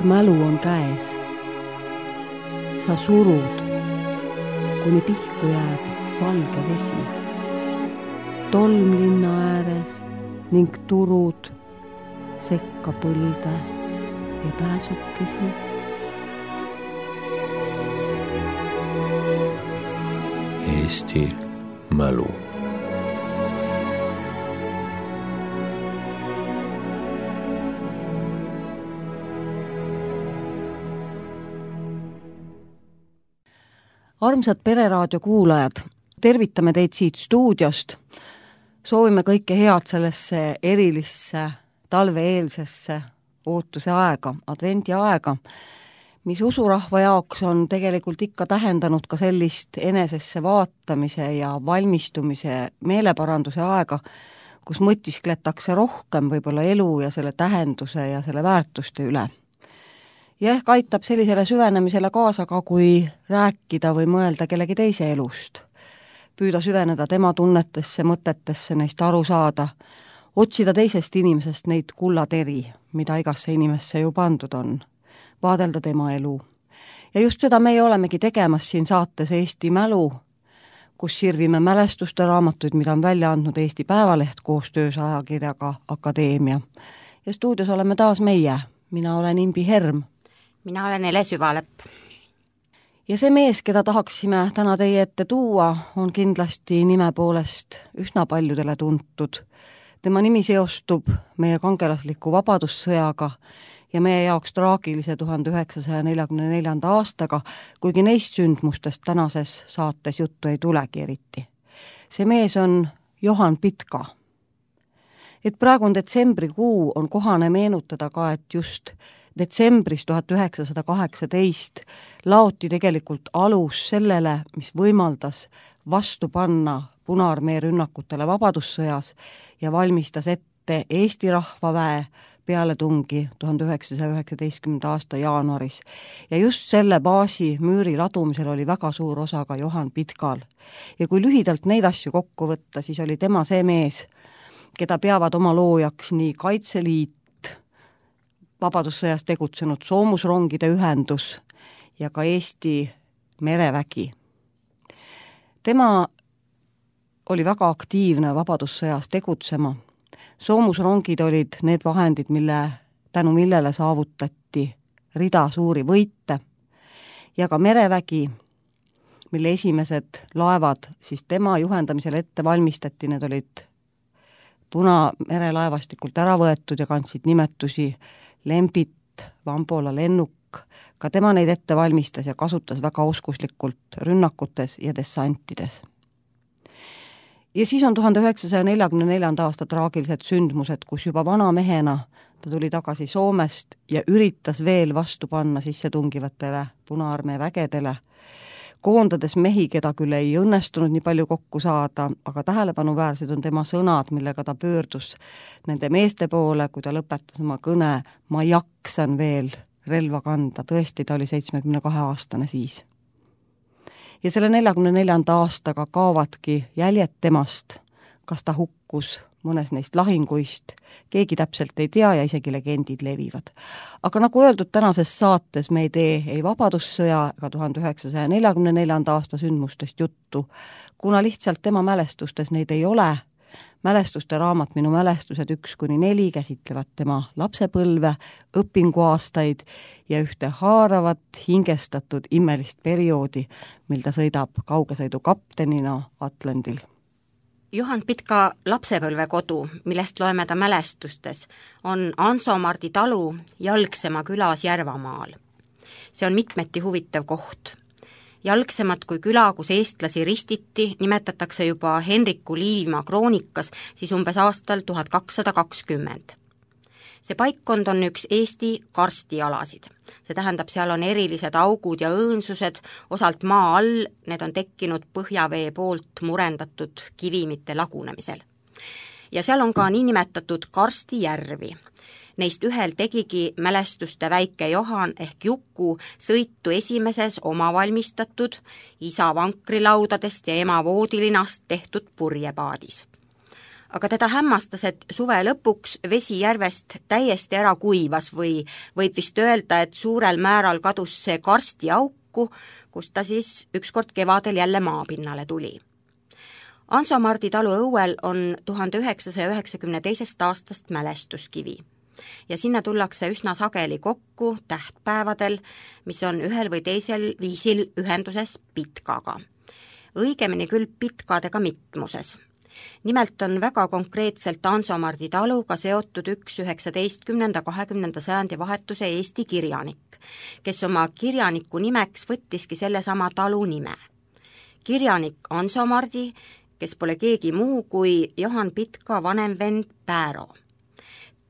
mälu on käes. Sa surud, kuni pihku jääb valge vesi. Tolm linna ääres ning turud sekka põlde ja pääsukesi. Eesti mälu. Armsad Pereraadio kuulajad, tervitame teid siit stuudiost. Soovime kõike head sellesse erilisse talve-eelsesse ootuse aega, advendi aega, mis usurahva jaoks on tegelikult ikka tähendanud ka sellist enesesse vaatamise ja valmistumise meeleparanduse aega, kus mõtiskletakse rohkem võib-olla elu ja selle tähenduse ja selle väärtuste üle. Ja ehk aitab sellisele süvenemisele kaasa ka, kui rääkida või mõelda kellegi teise elust. Püüda süveneda tema tunnetesse, mõtetesse, neist aru saada, otsida teisest inimesest neid kullateri, mida igasse inimesse ju pandud on, vaadelda tema elu. Ja just seda meie olemegi tegemas siin saates Eesti mälu, kus sirvime mälestuste raamatuid, mida on välja andnud Eesti Päevaleht koostöös ajakirjaga Akadeemia. Ja stuudios oleme taas meie. Mina olen Imbi Herm. Mina olen Ele Süvalepp. Ja see mees, keda tahaksime täna teie ette tuua, on kindlasti nime poolest üsna paljudele tuntud. Tema nimi seostub meie kangelasliku vabadussõjaga ja meie jaoks traagilise 1944. aastaga, kuigi neist sündmustest tänases saates juttu ei tulegi eriti. See mees on Johan Pitka. Et praegu on detsembrikuu, on kohane meenutada ka, et just detsembris 1918 laoti tegelikult alus sellele, mis võimaldas vastu panna Punaarmee rünnakutele vabadussõjas ja valmistas ette Eesti rahvaväe pealetungi 1919. aasta jaanuaris. Ja just selle baasi müüri ladumisel oli väga suur osa ka Johan Pitkal. Ja kui lühidalt neid asju kokku võtta, siis oli tema see mees, keda peavad oma loojaks nii Kaitseliit, vabadussõjas tegutsenud soomusrongide ühendus ja ka Eesti merevägi. Tema oli väga aktiivne vabadussõjas tegutsema. Soomusrongid olid need vahendid, tänu millele saavutati rida suuri võite ja ka merevägi, mille esimesed laevad siis tema juhendamisel ette valmistati, need olid Punamerelaevastikult ära võetud ja kandsid nimetusi Lembit, Vambola lennuk, ka tema neid ette valmistas ja kasutas väga oskuslikult rünnakutes ja dessantides. Ja siis on 1944. aasta traagilised sündmused, kus juba vana mehena ta tuli tagasi Soomest ja üritas veel vastu panna sissetungivatele Punaarmee vägedele, koondades mehi, keda küll ei õnnestunud nii palju kokku saada, aga tähelepanuväärsed on tema sõnad, millega ta pöördus nende meeste poole, kui ta lõpetas oma kõne, ma jaksan veel relva kanda, tõesti ta oli 72-aastane siis. Ja selle 44. aastaga kaovadki jäljed temast, kas ta hukkus mõnes neist lahinguist, keegi täpselt ei tea ja isegi legendid levivad. Aga nagu öeldud, tänases saates me ei tee ei vabadussõja ega 1944. aasta sündmustest juttu, kuna lihtsalt tema mälestustes neid ei ole. Mälestuste raamat Minu mälestused 1-4 käsitlevad tema lapsepõlve, õpinguaastaid ja ühte haaravat, hingestatud imelist perioodi, mil ta sõidab kaugesõidu kaptenina Atlandil. Johan Pitka lapsepõlvekodu, millest loeme ta mälestustes, on Ansomardi talu Jalgsema külas Järvamaal. See on mitmeti huvitav koht. Jalgsemat kui küla, kus eestlasi ristiti, nimetatakse juba Henriku Liivimaa kroonikas siis umbes aastal 1220. See paikkond on üks Eesti karstialasid. See tähendab, seal on erilised augud ja õõnsused, osalt maa all, need on tekkinud põhjavee poolt murendatud kivimite lagunemisel. Ja seal on ka niinimetatud karstijärvi. Neist ühel tegigi mälestuste väike Johan ehk Juku sõitu esimeses omavalmistatud isa vankrilaudadest ja ema voodilinast tehtud purjepaadis. aga teda hämmastas, et suve lõpuks vesi järvest täiesti ära kuivas või võib vist öelda, et suurel määral kadus see karsti auku, kus ta siis ükskord kevadel jälle maapinnale tuli. Anso-Mardi talu õuel on 1992. aastast mälestuskivi ja sinna tullakse üsna sageli kokku tähtpäevadel, mis on ühel või teisel viisil ühenduses Pitkaga. Õigemini küll Pitkadega mitmuses. Nimelt on väga konkreetselt Anso-Mardi taluga seotud üks 19.–20. sajandi vahetuse Eesti kirjanik, kes oma kirjaniku nimeks võttiski sellesama talu nime. Kirjanik Anso-Mardi, kes pole keegi muu kui Johan Pitka vanem vend Pääro.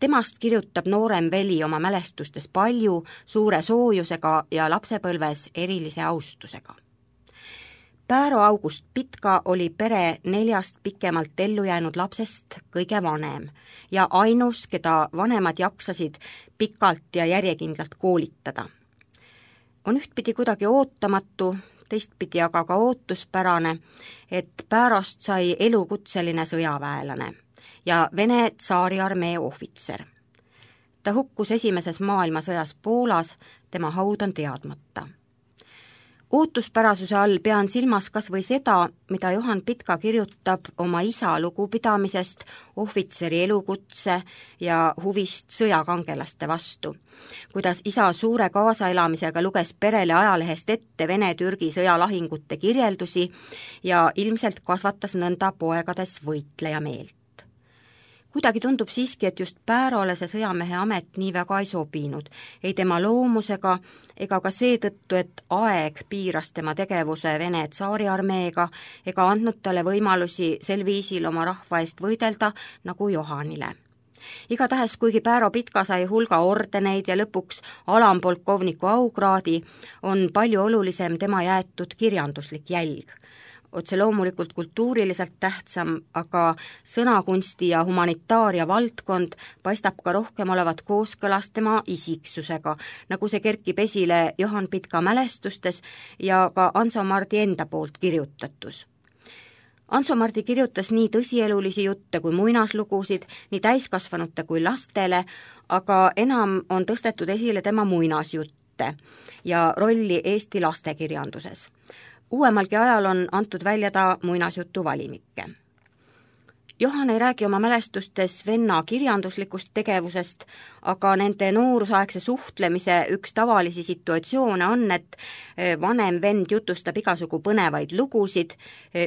Temast kirjutab noorem veli oma mälestustes palju, suure soojusega ja lapsepõlves erilise austusega. Pääro August Pitka oli pere 4 pikemalt ellu jäänud lapsest kõige vanem ja ainus, keda vanemad jaksasid pikalt ja järjekindlalt koolitada. On ühtpidi kuidagi ootamatu, teistpidi aga ka ootuspärane, et Päärost sai elukutseline sõjaväelane ja Vene tsaariarmee ohvitser. Ta hukkus esimeses maailmasõjas Poolas, tema haud on teadmata. Ootuspärasuse all pean silmas kas või seda, mida Johan Pitka kirjutab oma isa lugupidamisest, ohvitseri elukutse ja huvist sõjakangelaste vastu. Kuidas isa suure kaasaelamisega luges perele ajalehest ette Vene-Türgi sõjalahingute kirjeldusi ja ilmselt kasvatas nõnda poegades võitleja meelt. Kuidagi tundub siiski, et just Päärole see sõjamehe amet nii väga ei sobinud, ei tema loomusega ega ka seetõttu, et aeg piiras tema tegevuse Vene tsaariarmeega ega andnud talle võimalusi sel viisil oma rahva eest võidelda nagu Johanile. Igatahes, kuigi Pääro Pitka sai hulga ordeneid ja lõpuks alampolkovniku aukraadi, on palju olulisem tema jäetud kirjanduslik jälg. Otse loomulikult kultuuriliselt tähtsam, aga sõnakunsti ja humanitaaria valdkond paistab ka rohkem olevat kooskõlas tema isiksusega, nagu see kerkib esile Johan Pitka mälestustes ja ka Anso-Mardi enda poolt kirjutatus. Anso-Mardi kirjutas nii tõsielulisi jutte kui muinaslugusid, nii täiskasvanute kui lastele, aga enam on tõstetud esile tema muinasjutte ja rolli Eesti lastekirjanduses. Uuemalgi ajal on antud välja ta muinasjutu valimikke. Johan ei räägi oma mälestustes venna kirjanduslikust tegevusest, aga nende noorusaegse suhtlemise üks tavalisi situatsioone on, et vanem vend jutustab igasugu põnevaid lugusid,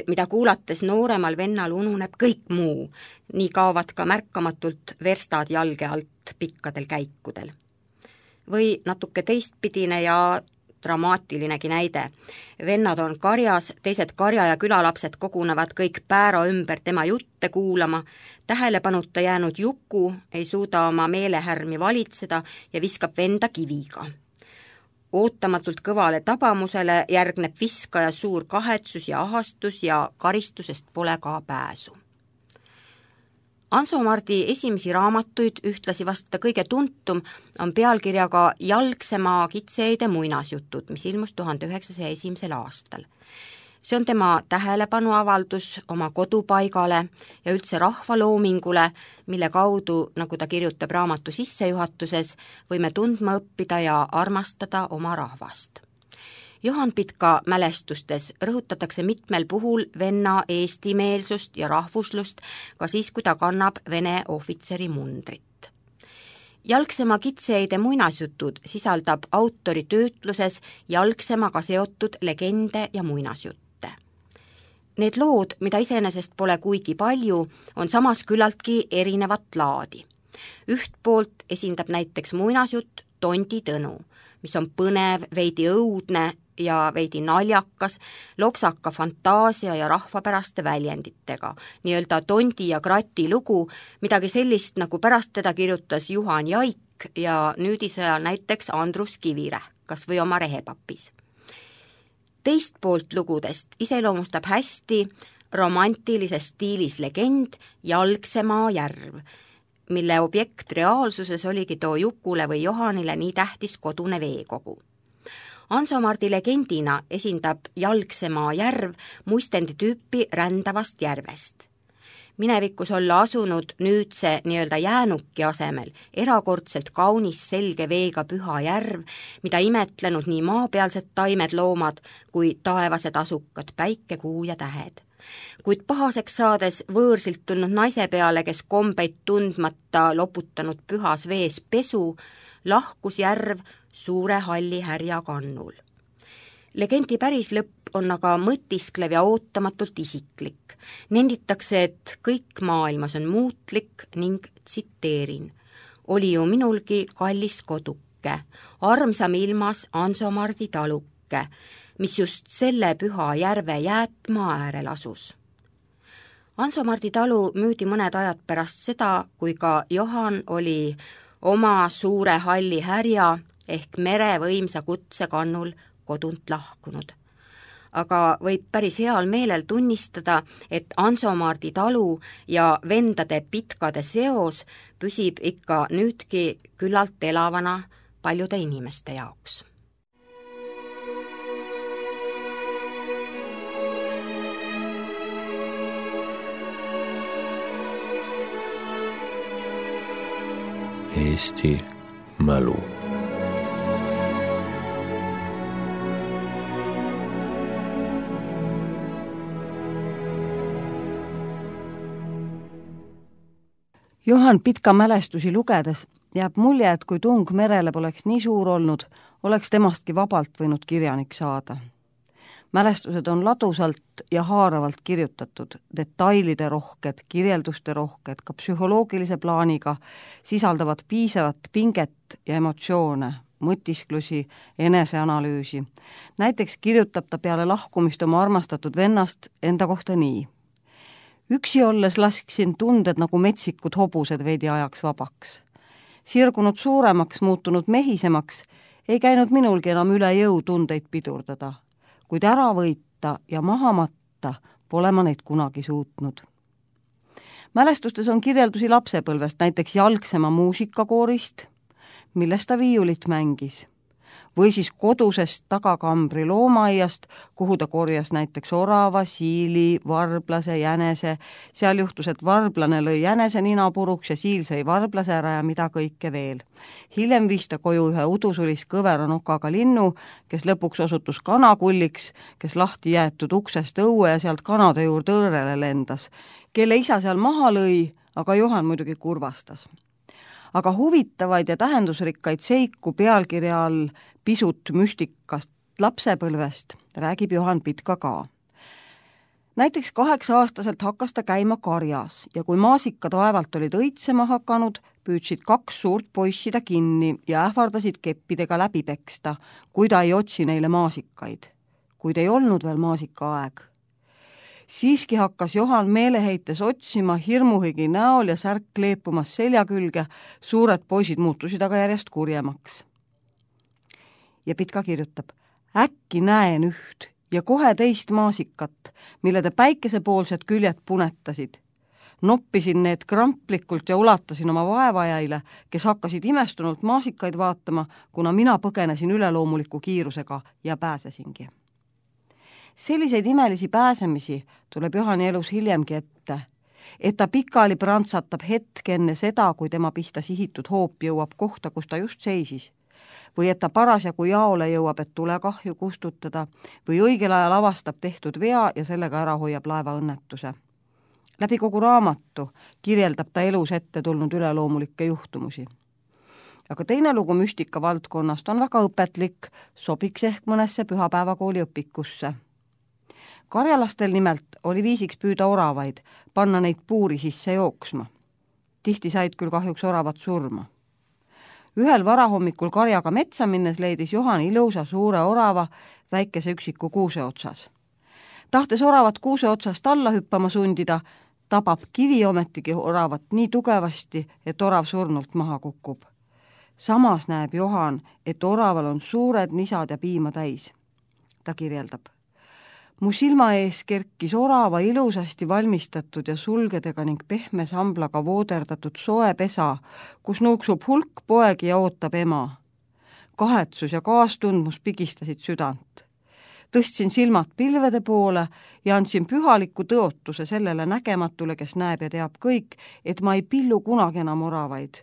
mida kuulates nooremal vennal ununeb kõik muu. Nii kaovad ka märkamatult verstad jalge alt pikkadel käikudel. Või natuke teistpidine ja dramaatilinegi näide. Vennad on karjas, teised karja ja külalapsed kogunevad kõik Pääro ümber tema jutte kuulama, tähelepanuta jäänud Juku ei suuda oma meelehärmi valitseda ja viskab venda kiviga. Ootamatult kõvale tabamusele järgneb viskaja suur kahetsus ja ahastus ja karistusest pole ka pääsu. Anso-Mardi esimesi raamatuid, ühtlasi vasta kõige tuntum, on pealkirjaga Jalgsemaa kitseide muinasjutud, mis ilmus 1901. aastal. See on tema tähelepanuavaldus oma kodupaigale ja üldse rahvaloomingule, mille kaudu, nagu ta kirjutab raamatu sissejuhatuses, võime tundma õppida ja armastada oma rahvast. Johan Pitka mälestustes rõhutatakse mitmel puhul venna eestimeelsust ja rahvuslust ka siis, kui ta kannab Vene ohvitseri mundrit. Jalgsemaa kitseide muinasjutud sisaldab autori töötluses jalgsemaga seotud legende ja muinasjutte. Need lood, mida iseenesest pole kuigi palju, on samas küllaltki erinevat laadi. Üht poolt esindab näiteks muinasjutt Tondi Tõnu, mis on põnev, veidi õudne ja veidi naljakas, lopsaka fantaasia ja rahvapäraste väljenditega, nii-öelda Tondi ja Krati lugu, midagi sellist, nagu pärast teda kirjutas Juhan Jaik ja nüüdisajal näiteks Andrus Kivirähk, kas või oma Rehepapis. Teist poolt lugudest iseloomustab hästi romantilises stiilis legend Jalgsemaa järv, mille objekt reaalsuses oligi too Jukule või Johanile nii tähtis kodune veekogu. Anso-Mardi legendina esindab Jalgsemaa järv muistendi tüüpi rändavast järvest. minevikus olla asunud nüüdse nii-öelda jäänuki asemel erakordselt kaunis selge veega püha järv, mida imetlenud nii maapealsed taimed, loomad kui taevased asukad, päike, kuu ja tähed. Kuid pahaseks saades võõrsilt tulnud naise peale, kes kombeid tundmata loputanud pühas vees pesu, lahkus järv suure halli härja kannul. Legendi päris lõpp on aga mõtisklev ja ootamatult isiklik. Nenditakse, et kõik maailmas on muutlik ning tsiteerin: oli ju minulgi kallis koduke, armsam ilmas Ansomardi taluke, mis just selle püha järve jäätmaa äärel asus. Ansomardi talu müüdi mõned ajad pärast seda, kui ka Johan oli oma suure halli härja ehk mere võimsa kutse kannul kodunt lahkunud. Aga võib päris heal meelel tunnistada, et Ansomardi talu ja vendade pitkade seos püsib ikka nüüdki küllalt elavana paljude inimeste jaoks. Eesti mälu. Johan Pitka mälestusi lugedes jääb mulje, et kui tung merele poleks nii suur olnud, oleks temastki vabalt võinud kirjanik saada. Mälestused on ladusalt ja haaravalt kirjutatud, detailide rohked, kirjelduste rohked, ka psühholoogilise plaaniga, sisaldavad piisavat pinget ja emotsioone, mõtisklusi, eneseanalüüsi. Näiteks kirjutab ta peale lahkumist oma armastatud vennast enda kohta nii: üksi olles lasksin tunded nagu metsikud hobused veidi ajaks vabaks. Sirgunud suuremaks, muutunud mehisemaks, ei käinud minulgi enam üle jõu tundeid pidurdada, kuid ära võita ja maha matta pole ma neid kunagi suutnud. Mälestustes on kirjeldusi lapsepõlvest, näiteks Jalgsema muusikakoorist, milles ta viiulit mängis, või siis kodusest tagakambri loomaaiast, kuhu ta korjas näiteks orava, siili, varblase, jänese. Seal juhtus, et varblane lõi jänese nina puruks ja siil sõi varblase ära ja mida kõike veel. Hiljem viis ta koju ühe udusulis kõvera nokaga linnu, kes lõpuks osutus kanakulliks, kes lahti jäetud uksest õue ja sealt kanade juurde õrrele lendas, kelle isa seal maha lõi, aga Johan muidugi kurvastas. Aga huvitavaid ja tähendusrikkaid seiku pealkirja all pisut müstikast lapsepõlvest räägib Johan Pitka ka. Näiteks 8-aastaselt hakkas ta käima karjas ja kui maasikad vaevalt olid õitsema hakanud, püüdsid 2 suurt poissi ta kinni ja ähvardasid keppidega läbi peksta, kui ta ei otsi neile maasikaid, kuid ei olnud veel maasikaaeg. Siiski hakkas Johan meeleheites otsima hirmuhigi näol ja särk kleepumas selja külge, suured poisid muutusid aga järjest kurjemaks. Ja Pitka kirjutab: äkki näen üht ja kohe teist maasikat, mille te päikesepoolsed küljed punetasid. Noppisin need kramplikult ja ulatasin oma vaevajaile, kes hakkasid imestunult maasikaid vaatama, kuna mina põgenesin üleloomuliku kiirusega ja pääsesingi. Selliseid imelisi pääsemisi tuleb Johani elus hiljemgi ette, et ta pikali prantsatab hetk enne seda, kui tema pihta sihitud hoop jõuab kohta, kus ta just seisis, või et ta parasjagu jaole jõuab, et tulekahju kustutada, või õigel ajal avastab tehtud vea ja sellega ära hoiab laevaõnnetuse. Läbi kogu raamatu kirjeldab ta elus ette tulnud üleloomulikke juhtumusi. Aga teine lugu müstika valdkonnast on väga õpetlik, sobiks ehk mõnesse pühapäevakooli õpikusse. Karjalastel nimelt oli viisiks püüda oravaid, panna neid puuri sisse jooksma. Tihti said küll kahjuks oravad surma. Ühel varahommikul karjaga metsa minnes leidis Johan ilusa suure orava väikese üksiku kuuse otsas. Tahtes oravat kuuse otsast alla hüppama sundida, tabab kivi ometigi oravat nii tugevasti, et orav surnult maha kukub. Samas näeb Johan, et oraval on suured nisad ja piima täis. Ta kirjeldab: mu silma ees kerkis orava ilusasti valmistatud ja sulgedega ning pehme samblaga vooderdatud soe pesa, kus nuuksub hulk poegi ja ootab ema. Kahetsus ja kaastundmus pigistasid südant. Tõstsin silmad pilvede poole ja andsin pühaliku tõotuse sellele nägematule, kes näeb ja teab kõik, et ma ei pillu kunagi enam oravaid.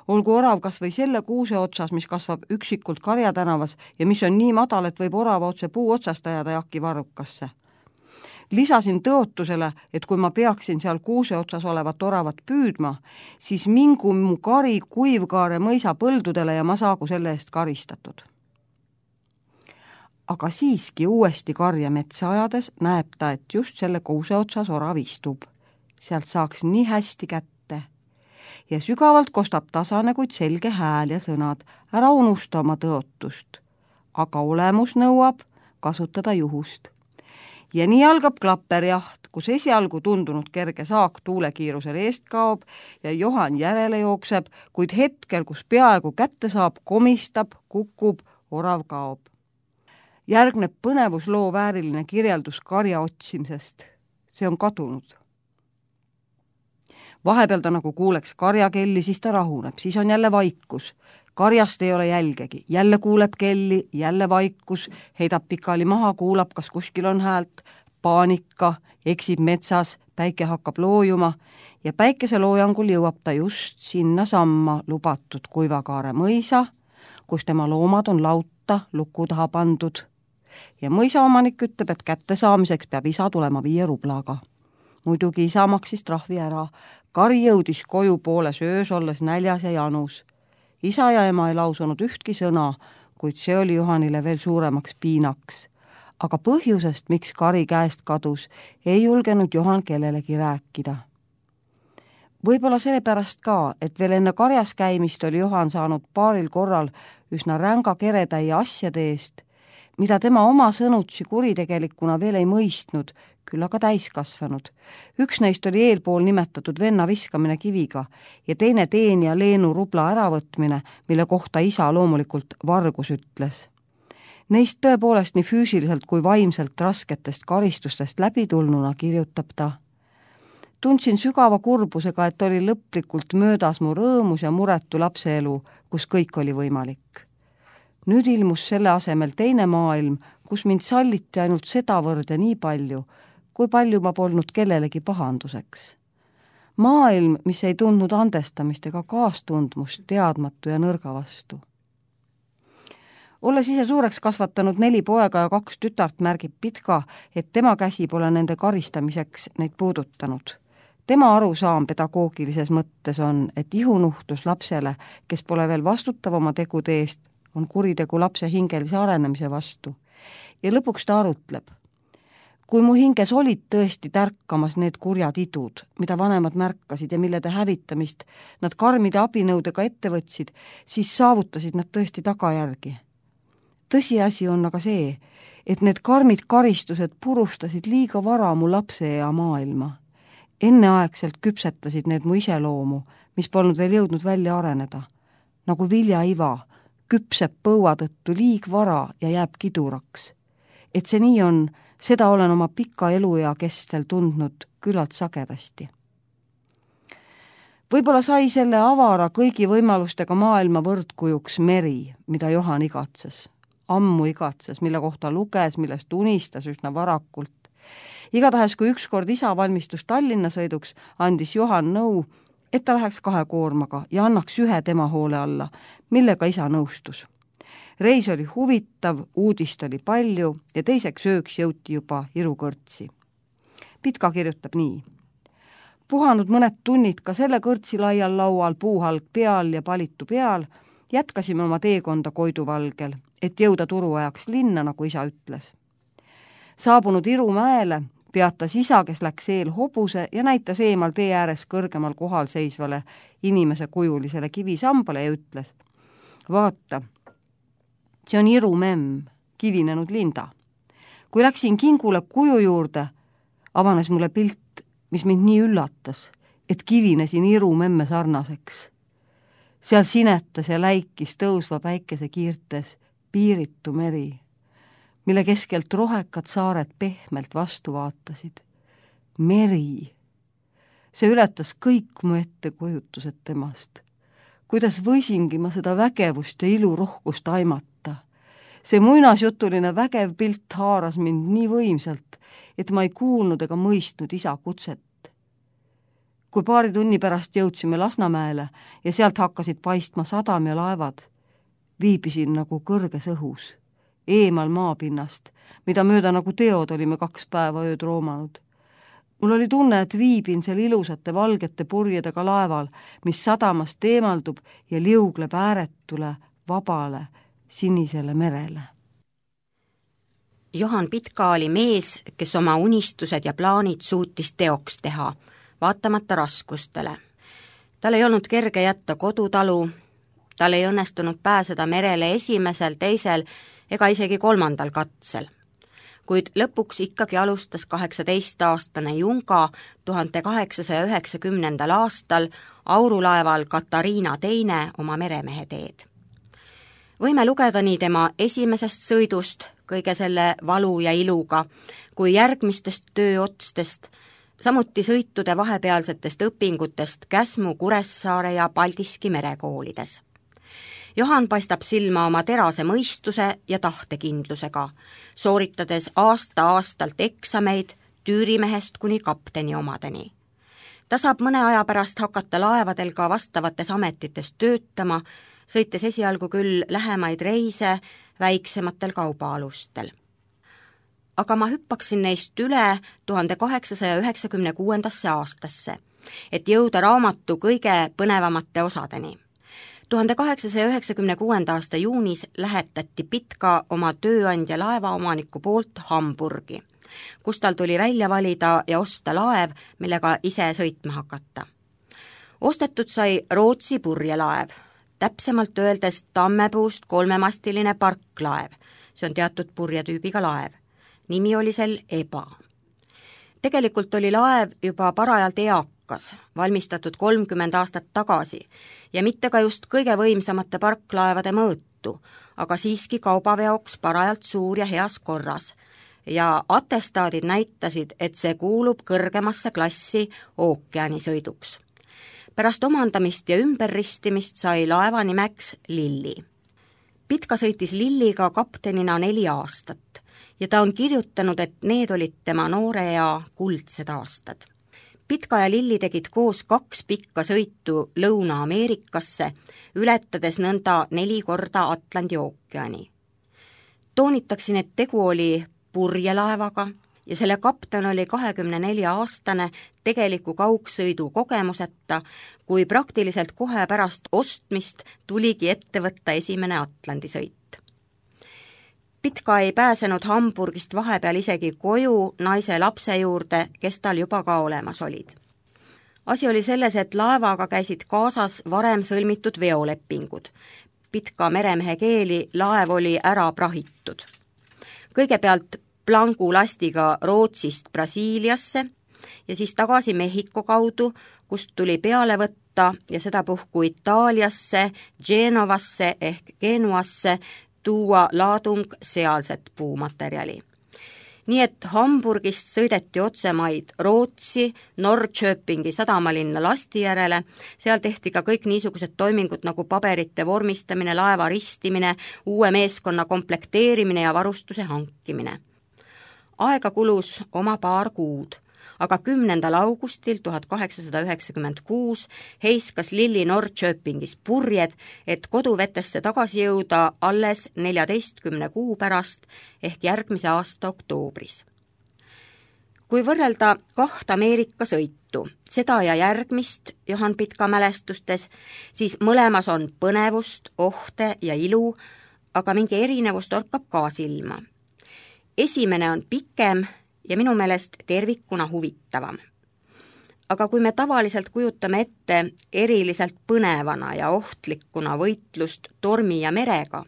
Olgu orav kas või selle kuuse otsas, mis kasvab üksikult Karja tänavas ja mis on nii madal, et võib orava otse puu otsast ajada Jaki varrukasse. Lisasin tõotusele, et kui ma peaksin seal kuuse otsas olevat oravat püüdma, siis mingu mu kari Kuivkaare mõisa põldudele ja ma saagu selle eest karistatud. Aga siiski uuesti Karja metsa ajades näeb ta, et just selle kuuse otsas orav istub. Sealt saaks nii hästi kätte. Ja sügavalt kostab tasane, kuid selge hääl ja sõnad, ära unusta oma tõotust. Aga olemus nõuab kasutada juhust. Ja nii algab klapperjaht, kus esialgu tundunud kerge saak tuulekiirusel eest kaob ja Johan järele jookseb, kuid hetkel, kus peaaegu kätte saab, komistab, kukub, orav kaob. Järgneb põnevusloo vääriline kirjeldus Karja otsimisest. See on kadunud. Vahepeal ta nagu kuuleks Karja kelli, siis ta rahuneb, siis on jälle vaikus. Karjast ei ole jälgegi, jälle kuuleb kelli, jälle vaikus, heidab pikali maha, kuulab, kas kuskil on häält, paanika, eksib metsas, päike hakkab loojuma ja päikese loojangul jõuab ta just sinna samma lubatud Kuivakaare mõisa, kus tema loomad on lauta luku taha pandud. Ja mõisaomanik ütleb, et kätte saamiseks peab isa tulema 5 rublaga. Muidugi isa maksis trahvi ära. Kari jõudis koju pooles öös, olles näljas ja janus. Isa ja ema ei lausunud ühtki sõna, kuid see oli Johanile veel suuremaks piinaks. Aga põhjusest, miks Kari käest kadus, ei julgenud Johan kellelegi rääkida. Võib-olla sellepärast ka, et veel enne karjas käimist oli Johan saanud paaril korral üsna ränga keretäie asjade eest, mida tema oma sõnutsi kuritegelikuna veel ei mõistnud, küll aga täiskasvanud. Üks neist oli eelpool nimetatud venna viskamine kiviga ja teine teenija Leenu rubla äravõtmine, mille kohta isa loomulikult vargus ütles. Neist tõepoolest nii füüsiliselt kui vaimselt rasketest karistustest läbitulnuna kirjutab ta. Tundsin sügava kurbusega, et oli lõplikult möödas mu rõõmus ja muretu lapseelu, kus kõik oli võimalik. Nüüd ilmus selle asemel teine maailm, kus mind salliti ainult sedavõrd ja nii palju, kui palju ma polnud kellelegi pahanduseks. Maailm, mis ei tundnud andestamist ega kaastundmust teadmatu ja nõrga vastu. Olles ise suureks kasvatanud 4 poega ja 2 tütart, märgib Pitka, et tema käsi pole nende karistamiseks neid puudutanud. Tema arusaam pedagoogilises mõttes on, et ihunuhtlus lapsele, kes pole veel vastutav oma tegude eest, on kuritegu lapse hingelise arenemise vastu. Ja lõpuks ta arutleb. Kui mu hinges olid tõesti tärkamas need kurjad idud, mida vanemad märkasid ja millede hävitamist nad karmide abinõudega ette võtsid, siis saavutasid nad tõesti tagajärgi. Tõsiasi on aga see, et need karmid karistused purustasid liiga vara mu lapse ja maailma. Enneaegselt küpsetasid need mu iseloomu, mis polnud veel jõudnud välja areneda. Nagu viljaiva, küpseb põua tõttu liig vara ja jääb kiduraks. Et see nii on, seda olen oma pika eluea kestel tundnud küllalt sagedasti. Võib-olla sai selle avara kõigi võimalustega maailma võrdkujuks meri, mida Johan igatses. Ammu igatses, mille kohta luges, millest unistas üsna varakult. Igatahes, kui ükskord isa valmistus Tallinna sõiduks, andis Johan nõu, et ta läheks 2 koormaga ja annaks 1 tema hoole alla, millega isa nõustus. Reis oli huvitav, uudist oli palju ja teiseks ööks jõuti juba Irukõrtsi. Pitka kirjutab nii. Puhanud mõned tunnid ka selle kõrtsi laial laual, puuhalg peal ja palitu peal, jätkasime oma teekonda Koiduvalgel, et jõuda turuajaks linna, nagu isa ütles. Saabunud Irumäele peatas isa, kes läks eel hobuse ja näitas eemal tee ääres kõrgemal kohal seisvale inimese kujulisele kivisambale ja ütles, vaata, see on Irumemm, kivinenud linda. Kui läksin kingule kuju juurde, avanes mulle pilt, mis mind nii üllatas, et kivinesin Irumemme sarnaseks. Seal sinetas ja läikis tõusva päikese kiirtes piiritu meri, mille keskelt rohekad saared pehmelt vastu vaatasid. Meri. See ületas kõik mu ettekujutused temast. Kuidas võisingi ma seda vägevust ja ilurohkust aimata. See muinasjutuline vägev pilt haaras mind nii võimsalt, et ma ei kuulnud ega mõistnud isa kutset. Kui paari tunni pärast jõudsime Lasnamäele ja sealt hakkasid paistma sadam ja laevad, viibisin nagu kõrges õhus, eemal maapinnast, mida mööda nagu teod olime 2 päeva ööd roomanud. Mul oli tunne, et viibin seal ilusate valgete purjedega laeval, mis sadamast eemaldub ja liugleb ääretule, vabale, sinisele merele. Johan Pitka oli mees, kes oma unistused ja plaanid suutis teoks teha, vaatamata raskustele. Tal ei olnud kerge jätta kodutalu, tal ei õnnestunud pääseda merele esimesel, teisel ega isegi 3. katsel. Kuid lõpuks ikkagi alustas 18-aastane Junga 1890. aastal aurulaeval Katariina II oma meremehe teed. Võime lugeda nii tema esimesest sõidust, kõige selle valu ja iluga, kui järgmistest tööotstest, samuti sõitude vahepealsetest õpingutest Käsmu, Kuressaare ja Paldiski merekoolides. Johan paistab silma oma terase mõistuse ja tahtekindlusega, sooritades aasta-aastalt eksameid tüürimehest kuni kapteni omadeni. Ta saab mõne aja pärast hakata laevadel ka vastavates ametites töötama, sõites esialgu küll lähemaid reise väiksematel kaubaalustel. Aga ma hüppaksin neist üle 1896. aastasse, et jõuda raamatu kõige põnevamate osadeni. 1896. aasta juunis lähetati Pitka oma tööandja laevaomaniku poolt Hamburgi, kus tal tuli välja valida ja osta laev, millega ise sõitma hakata. Ostetud sai Rootsi purjelaev, täpsemalt öeldes tammepuust 3-mastiline parklaev, see on teatud purjetüübiga laev. Nimi oli sel Eba. Tegelikult oli laev juba parajalt eakas, valmistatud 30 aastat tagasi ja mitte ka just kõige võimsamate parklaevade mõõtu, aga siiski kaubaveoks parajalt suur ja heas korras. Ja atestaadid näitasid, et see kuulub kõrgemasse klassi ookeanisõiduks. Pärast omandamist ja ümberristimist sai laeva nimeks Lilli. Pitka sõitis Lilliga kaptenina 4 aastat ja ta on kirjutanud, et need olid tema noore ja kuldsed aastad. Pitka ja Lilli tegid koos 2 pikka sõitu Lõuna-Ameerikasse, ületades nõnda 4 korda Atlandi ookeani. Toonitaksin, et tegu oli purjelaevaga ja selle kapten oli 24-aastane tegeliku kaugsõidu kogemuseta, kui praktiliselt kohe pärast ostmist tuligi ette võtta esimene Atlandi sõit. Pitka ei pääsenud Hamburgist vahepeal isegi koju naise lapse juurde, kes tal juba ka olemas olid. Asi oli selles, et laevaga käisid kaasas varem sõlmitud veolepingud. Pitka meremehe keeli laev oli ära prahitud. Kõigepealt plangu lastiga Rootsist Brasiiliasse ja siis tagasi Mehhiko kaudu, kust tuli peale võtta ja sedapuhku Itaaliasse, Genovasse ehk Genuasse tuua laadung sealset puumaterjali. Nii et Hamburgist sõideti otsemaid Rootsi, Norrköpingi sadamalinna lasti järele, seal tehti ka kõik niisugused toimingud nagu paberite vormistamine, laeva ristimine, uue meeskonna komplekteerimine ja varustuse hankimine. Aega kulus oma 2 kuud, aga 10. augustil 1896 heiskas Lilli Norrköpingis purjed, et koduvetesse tagasi jõuda alles 14 kuu pärast ehk järgmise aasta oktoobris. Kui võrrelda 2 Ameerika sõitu, seda ja järgmist Johan Pitka mälestustes, siis mõlemas on põnevust, ohte ja ilu, aga mingi erinevus torkab ka silma. Esimene on pikem ja minu meelest tervikuna huvitavam. Aga kui me tavaliselt kujutame ette eriliselt põnevana ja ohtlikuna võitlust tormi ja merega,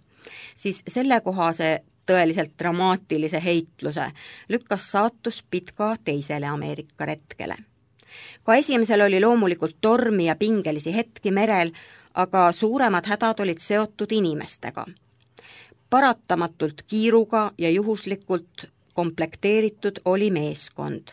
siis sellekohase tõeliselt dramaatilise heitluse lükkas saatus Pitka teisele Ameerika retkele. Ka esimesel oli loomulikult tormi ja pingelisi hetki merel, aga suuremad hädad olid seotud inimestega. Paratamatult kiiruga ja juhuslikult komplekteeritud oli meeskond.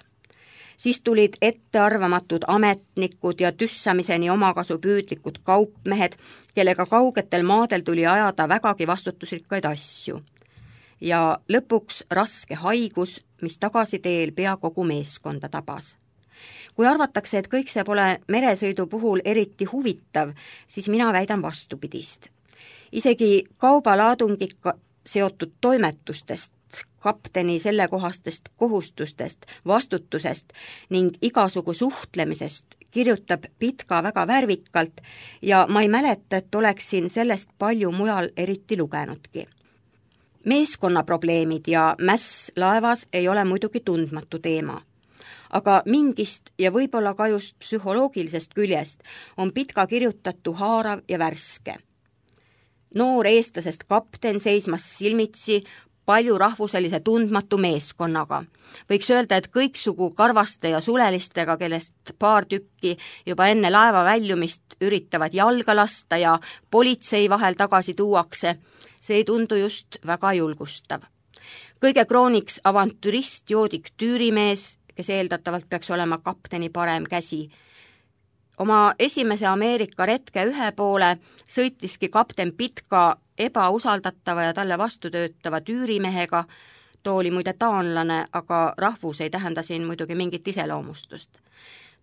Siis tulid ettearvamatud ametnikud ja tüssamiseni omakasupüüdlikud kaupmehed, kellega kaugetel maadel tuli ajada vägagi vastutusrikkaid asju. ja lõpuks raske haigus, mis tagasiteel pea kogu meeskonda tabas. Kui arvatakse, et kõik see pole meresõidu puhul eriti huvitav, siis mina väidan vastupidist. Isegi kaubalaadungiga seotud toimetustest, kapteni sellekohastest kohustustest, vastutusest ning igasugu suhtlemisest kirjutab Pitka väga värvikalt ja ma ei mäleta, et oleksin sellest palju mujal eriti lugenudki. Meeskonnaprobleemid ja mäss laevas ei ole muidugi tundmatu teema. Aga mingist ja võib-olla ka just psühholoogilisest küljest on Pitka kirjutatu haarav ja värske. Noor eestlasest kapten seismas silmitsi palju rahvuselise tundmatu meeskonnaga. Võiks öelda, et kõiksugu karvaste ja sulelistega, kellest paar tükki juba enne laeva väljumist üritavad jalga lasta ja politsei vahel tagasi tuuakse, see ei tundu just väga julgustav. Kõige krooniks avantürist joodik tüürimees, kes eeldatavalt peaks olema kapteni parem käsi. Oma esimese Ameerika retke ühe poole sõitiski kapten Pitka ebausaldatava ja talle vastu töötava tüürimehega, too oli muide taanlane, aga rahvus ei tähenda siin muidugi mingit iseloomustust.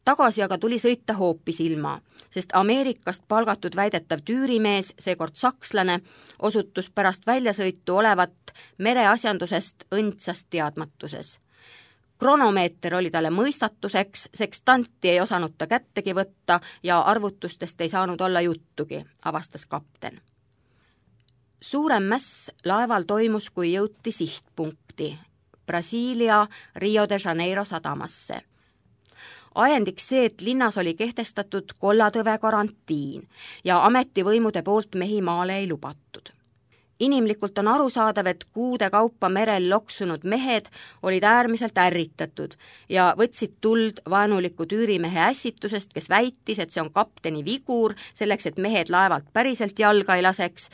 Tagasi aga tuli sõita hoopis ilma, sest Ameerikast palgatud väidetav tüürimees, seekord sakslane, osutus pärast väljasõitu olevat mereasjandusest õndsast teadmatuses. Kronomeeter oli talle mõistatuseks, sekstanti ei osanud ta kättegi võtta ja arvutustest ei saanud olla juttugi, avastas kapten. Suurem mäss laeval toimus, kui jõuti sihtpunkti, Brasiilia Rio de Janeiro sadamasse. Ajendiks see, et linnas oli kehtestatud kollatõve karantiin ja ametivõimude poolt mehi maale ei lubatud. Inimlikult on arusaadav, et kuude kaupa merel loksunud mehed olid äärmiselt ärritatud ja võtsid tuld vaenuliku tüürimehe ässitusest, kes väitis, et see on kapteni vigur, selleks, et mehed laevalt päriselt jalga ei laseks,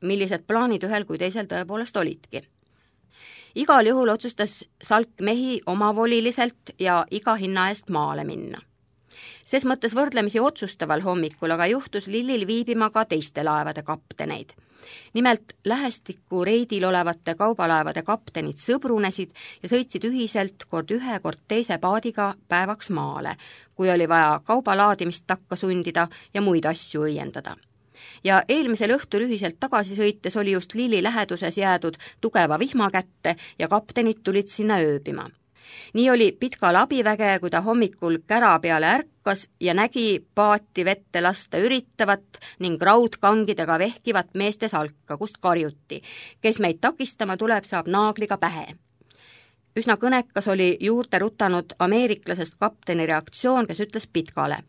millised plaanid ühel kui teisel tõepoolest olidki. Igal juhul otsustas salk mehi omavoliliselt ja iga hinna eest maale minna. Ses mõttes võrdlemisi otsustaval hommikul aga juhtus Lillil viibima ka teiste laevade kapteneid. Nimelt lähestikku reidil olevate kaubalaevade kaptenid sõbrunesid ja sõitsid ühiselt kord ühe, kord teise paadiga päevaks maale, kui oli vaja kaubalaadimist takka sundida ja muid asju õiendada. Ja eelmisel õhtul ühiselt tagasi sõites oli just Lilli läheduses jäädud tugeva vihma kätte ja kaptenid tulid sinna ööbima. Nii oli Pitkal abiväge, kui ta hommikul kära peale ärkas ja nägi paati vette lasta üritavat ning raudkangidega vehkivat meeste salka, kust karjuti. Kes meid takistama tuleb, saab naagliga pähe. Üsna kõnekas oli juurde rutanud ameeriklasest kapteni reaktsioon, kes ütles Pitkale: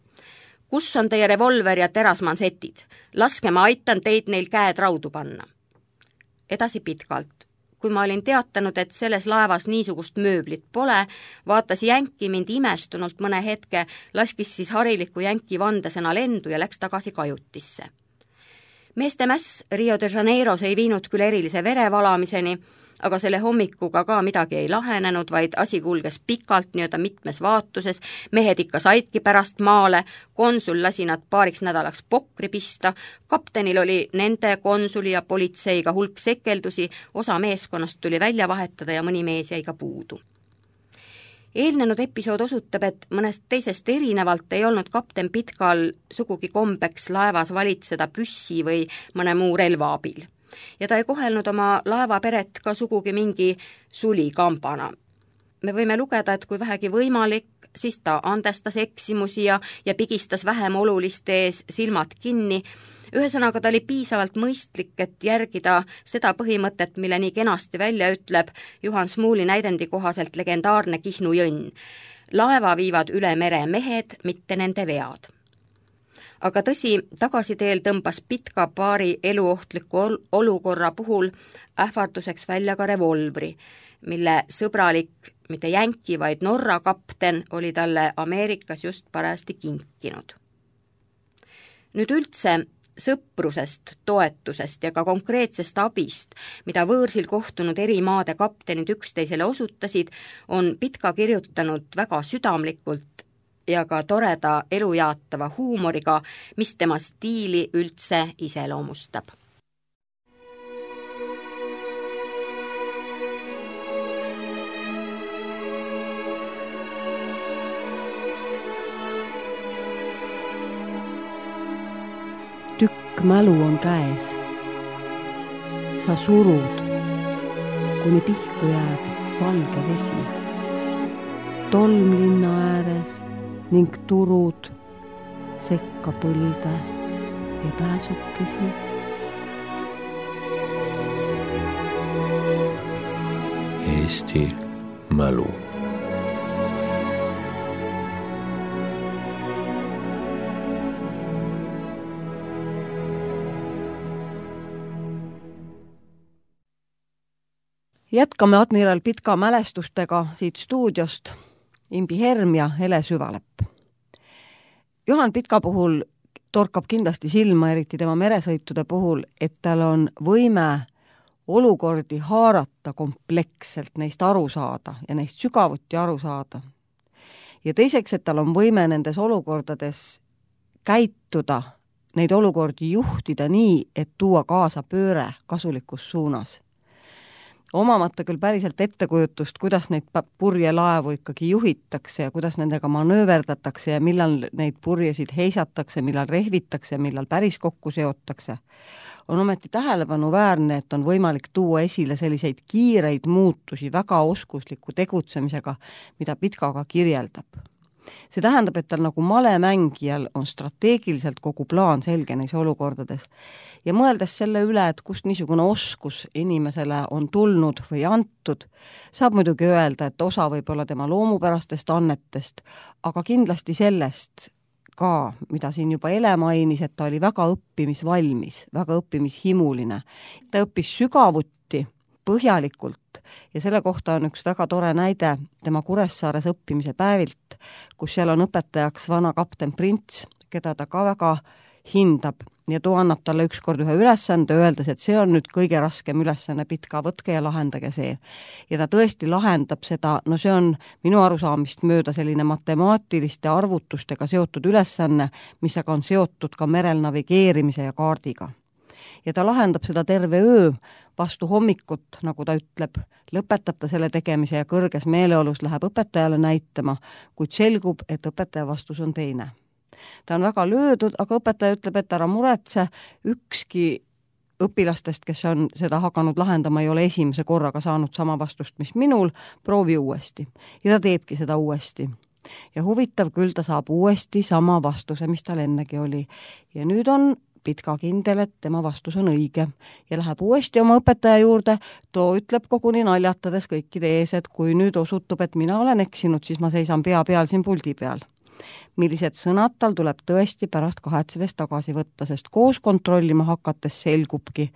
kus on teie revolver ja terasmansetid? Laske, ma aitan teid neil käed raudu panna. Edasi Pitkalt. Kui ma olin teatanud, et selles laevas niisugust mööblit pole, vaatas jänki mind imestunult mõne hetke, laskis siis hariliku jänki vandesõna lendu ja läks tagasi kajutisse. Meeste mäss Rio de Janeiros ei viinud küll erilise verevalamiseni, aga selle hommikuga ka midagi ei lahenenud, vaid asi kulges pikalt nii-öelda mitmes vaatuses, mehed ikka saidki pärast maale, konsul lasi nad paariks nädalaks pokri pista, kaptenil oli nende, konsuli ja politseiga hulk sekeldusi, osa meeskonnast tuli välja vahetada ja mõni mees jäi ka puudu. Eelnenud episood osutab, et mõnest teisest erinevalt ei olnud kapten Pitkal sugugi kombeks laevas valitseda püssi või mõne muu relva abil. Ja ta ei kohelnud oma laevaperet ka sugugi mingi sulikambana. Me võime lugeda, et kui vähegi võimalik, siis ta andestas eksimusi ja pigistas vähem oluliste ees silmad kinni. Ühesõnaga ta oli piisavalt mõistlik, et järgida seda põhimõtet, mille nii kenasti välja ütleb Juhan Smuuli näidendi kohaselt legendaarne Kihnu jõnn. Laeva viivad üle mere mehed, mitte nende vead. Aga tõsi, tagasiteel tõmbas Pitka paari eluohtliku olukorra puhul ähvarduseks välja ka revolvri, mille sõbralik, mitte jänki, vaid Norra kapten oli talle Ameerikas just parajasti kinkinud. Nüüd üldse sõprusest, toetusest ja ka konkreetsest abist, mida võõrsil kohtunud eri maade kaptenid üksteisele osutasid, on Pitka kirjutanud väga südamlikult ja ka toreda elujaatava huumoriga, mis tema stiili üldse iseloomustab. Pikk mälu on käes. Sa surud, kuni pihku jääb valge vesi. Tolm linna ääres ning turud sekka põlde ja pääsukesi. Eesti mälu. Jätkame admiral Pitka mälestustega siit stuudiost Imbi Herm ja Hele Süvalepp. Juhan Pitka puhul torkab kindlasti silma, eriti tema meresõitude puhul, et tal on võime olukordi haarata kompleksselt, neist aru saada ja neist sügavuti aru saada. Ja teiseks, et tal on võime nendes olukordades käituda, neid olukordi juhtida nii, et tuua kaasa pööre kasulikus suunas. Omamata küll päriselt ettekujutust, kuidas neid purjelaevu ikkagi juhitakse ja kuidas nendega manööverdatakse ja millal neid purjesid heisatakse, millal rehvitakse, millal päris kokku seotakse, on ometi tähelepanuväärne, et on võimalik tuua esile selliseid kiireid muutusi väga oskusliku tegutsemisega, mida Pitka ka kirjeldab. See tähendab, et tal nagu malemängijal on strateegiliselt kogu plaan selge neis olukordades ja mõeldes selle üle, et kust niisugune oskus inimesele on tulnud või antud, saab muidugi öelda, et osa võib olla tema loomupärastest annetest, aga kindlasti sellest ka, mida siin juba Ele mainis, et ta oli väga õppimisvalmis, väga õppimishimuline. Ta õppis sügavuti, põhjalikult ja selle kohta on üks väga tore näide tema Kuressaares õppimise päevilt, kus seal on õpetajaks vana kapten Prints, keda ta ka väga hindab ja too annab talle ükskord ühe ülesande, öeldes, et see on nüüd kõige raskem ülesanne, Pitka, võtke ja lahendage see. Ja ta tõesti lahendab seda, no see on minu arusaamist mööda selline matemaatiliste arvutustega seotud ülesanne, mis aga on seotud ka merel navigeerimise ja kaardiga. Ja ta lahendab seda terve öö vastu hommikut, nagu ta ütleb, lõpetab ta selle tegemise ja kõrges meeleolus läheb õpetajale näitama, kuid selgub, et õpetaja vastus on teine. Ta on väga löödud, aga õpetaja ütleb, et ära muretse, ükski õpilastest, kes on seda hakanud lahendama, ei ole esimese korraga saanud sama vastust, mis minul, proovi uuesti. Ja ta teebki seda uuesti. Ja huvitav küll, ta saab uuesti sama vastuse, mis tal ennegi oli. Ja nüüd on Pitka kindel, et tema vastus on õige ja läheb uuesti oma õpetaja juurde, too ütleb koguni naljatades kõikide ees, et kui nüüd osutub, et mina olen eksinud, siis ma seisan pea peal siin puldi peal. Millised sõnad tal tuleb tõesti pärast kahetsedes tagasi võtta, sest koos kontrollima hakates selgubki,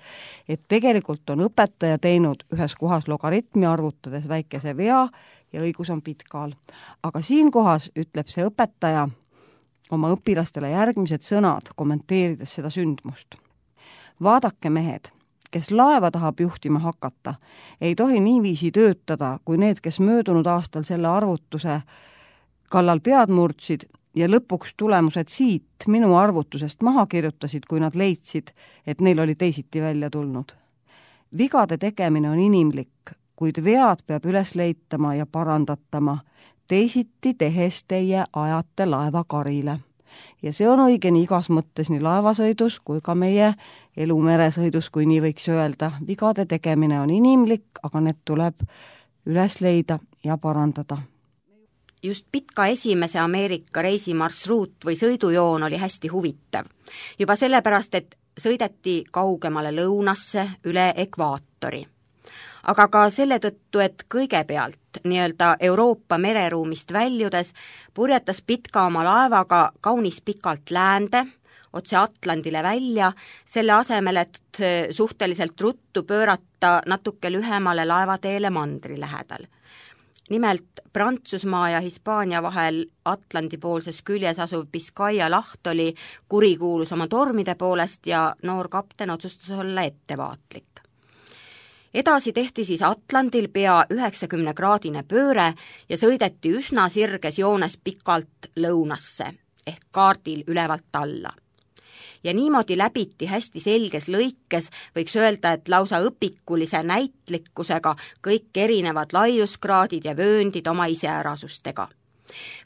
et tegelikult on õpetaja teinud ühes kohas logaritmi arvutades väikese vea ja õigus on Pitkal. Aga siin kohas ütleb see õpetaja oma õpilastele järgmised sõnad, kommenteerides seda sündmust. Vaadake, mehed, kes laeva tahab juhtima hakata, ei tohi niiviisi töötada, kui need, kes möödunud aastal selle arvutuse kallal pead murdsid ja lõpuks tulemused siit minu arvutusest maha kirjutasid, kui nad leidsid, et neil oli teisiti välja tulnud. Vigade tegemine on inimlik, kuid vead peab üles leitama ja parandatama, teisiti tehes teie ajate laeva karile. Ja see on õige nii igas mõttes nii laevasõidus kui ka meie elumeresõidus, kui nii võiks öelda. Vigade tegemine on inimlik, aga need tuleb üles leida ja parandada. Just Pitka esimese Ameerika reisimarsruut või sõidujoon oli hästi huvitav. Juba sellepärast, et sõideti kaugemale lõunasse üle ekvaatori. Aga ka selle tõttu, et kõigepealt nii-öelda Euroopa mereruumist väljudes purjetas Pitka oma laevaga kaunis pikalt läände, otse Atlandile välja, selle asemel, et suhteliselt ruttu pöörata natuke lühemale laevateele mandri lähedal. Nimelt Prantsusmaa ja Hispaania vahel Atlandi poolses küljes asuv Biscaya laht oli kurikuulus oma tormide poolest ja noor kapten otsustas olla ettevaatlik. Edasi tehti siis Atlandil pea 90-kraadine pööre ja sõideti üsna sirges joones pikalt lõunasse ehk kaardil ülevalt alla. Ja niimoodi läbiti hästi selges lõikes, võiks öelda, et lausa õpikulise näitlikkusega kõik erinevad laiuskraadid ja vööndid oma iseärasustega.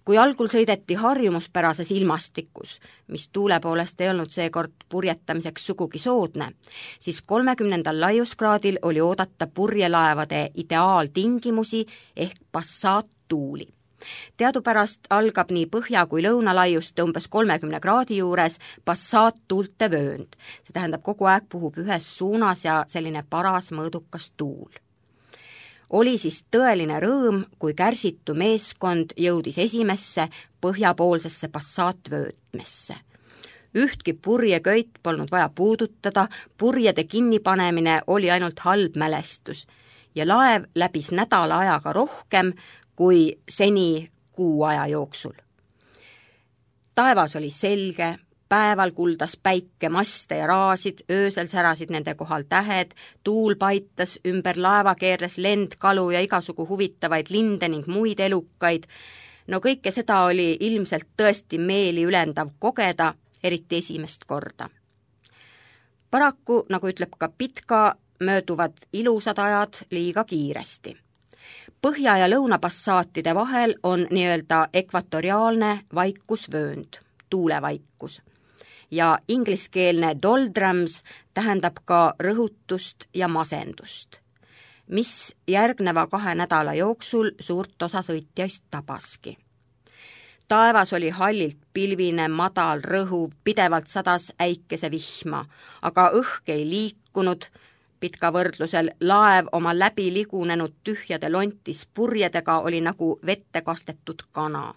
Kui algul sõideti harjumuspärases ilmastikus, mis tuule poolest ei olnud seekord purjetamiseks sugugi soodne, siis 30. laiuskraadil oli oodata purjelaevade ideaaltingimusi ehk passaattuuli. Teadupärast algab nii põhja- kui lõunalaiuste umbes 30 kraadi juures passaattuulte vöönd. See tähendab, kogu aeg puhub ühes suunas ja selline paras mõõdukas tuul. Oli siis tõeline rõõm, kui kärsitu meeskond jõudis esimesse põhjapoolsesse passaatvöötmesse. Ühtki purjeköit polnud vaja puudutada, purjede kinnipanemine oli ainult halb mälestus ja laev läbis nädala ajaga rohkem kui seni kuu aja jooksul. Taevas oli selge, päeval kuldas päike maste ja raasid, öösel särasid nende kohal tähed, tuul paitas, ümber laeva keerles lendkalu ja igasugu huvitavaid linde ning muid elukaid. No kõike seda oli ilmselt tõesti meeli ülendav kogeda, eriti esimest korda. Paraku, nagu ütleb ka Pitka, mööduvad ilusad ajad liiga kiiresti. Põhja- ja lõunapassaatide vahel on nii-öelda ekvatoriaalne vaikusvöönd, tuulevaikus. Ja ingliskeelne doldrums tähendab ka rõhutust ja masendust, mis järgneva 2 nädala jooksul suurt osa sõitjaist tabaski. Taevas oli hallilt pilvine, madal, rõhuv, pidevalt sadas äikesevihma, aga õhk ei liikunud. Pitka võrdlusel laev oma läbi ligunenud tühjade lontis purjedega oli nagu vette kastetud kana.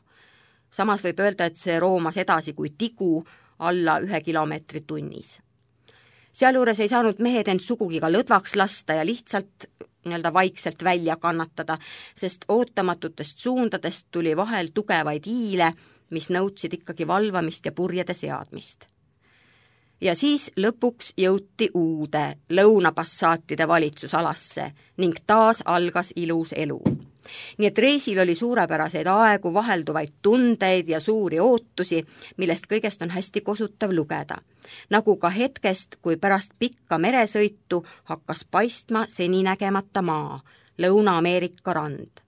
Samas võib öelda, et see roomas edasi kui tigu alla 1 kilomeetri tunnis. Sealjuures ei saanud mehed end sugugi ka lõdvaks lasta ja lihtsalt vaikselt välja kannatada, sest ootamatutest suundadest tuli vahel tugevaid hiile, mis nõudsid ikkagi valvamist ja purjede seadmist. Ja siis lõpuks jõuti uude lõunapassaatide valitsusalasse ning taas algas ilus elu. Nii et reisil oli suurepäraseid aegu, vahelduvaid tundeid ja suuri ootusi, millest kõigest on hästi kosutav lugeda. Nagu ka hetkest, kui pärast pikka meresõitu hakkas paistma seninägemata maa, Lõuna-Ameerika rand.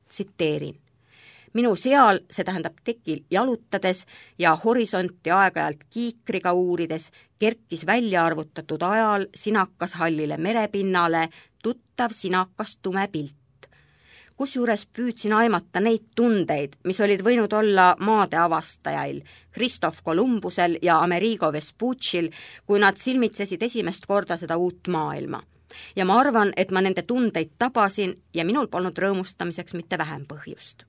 Tsiteerin. Minu seal, see tähendab tekil jalutades ja horisonti aeg-ajalt kiikriga uurides, kerkis välja arvutatud ajal sinakas hallile merepinnale tuttav sinakas tume pilt. Kusjuures püüdsin aimata neid tundeid, mis olid võinud olla maade avastajail, Christoph Columbusel ja Amerigo Vespucci'l, kui nad silmitsesid esimest korda seda uut maailma. Ja ma arvan, et ma nende tundeid tabasin ja minul polnud rõõmustamiseks mitte vähem põhjust.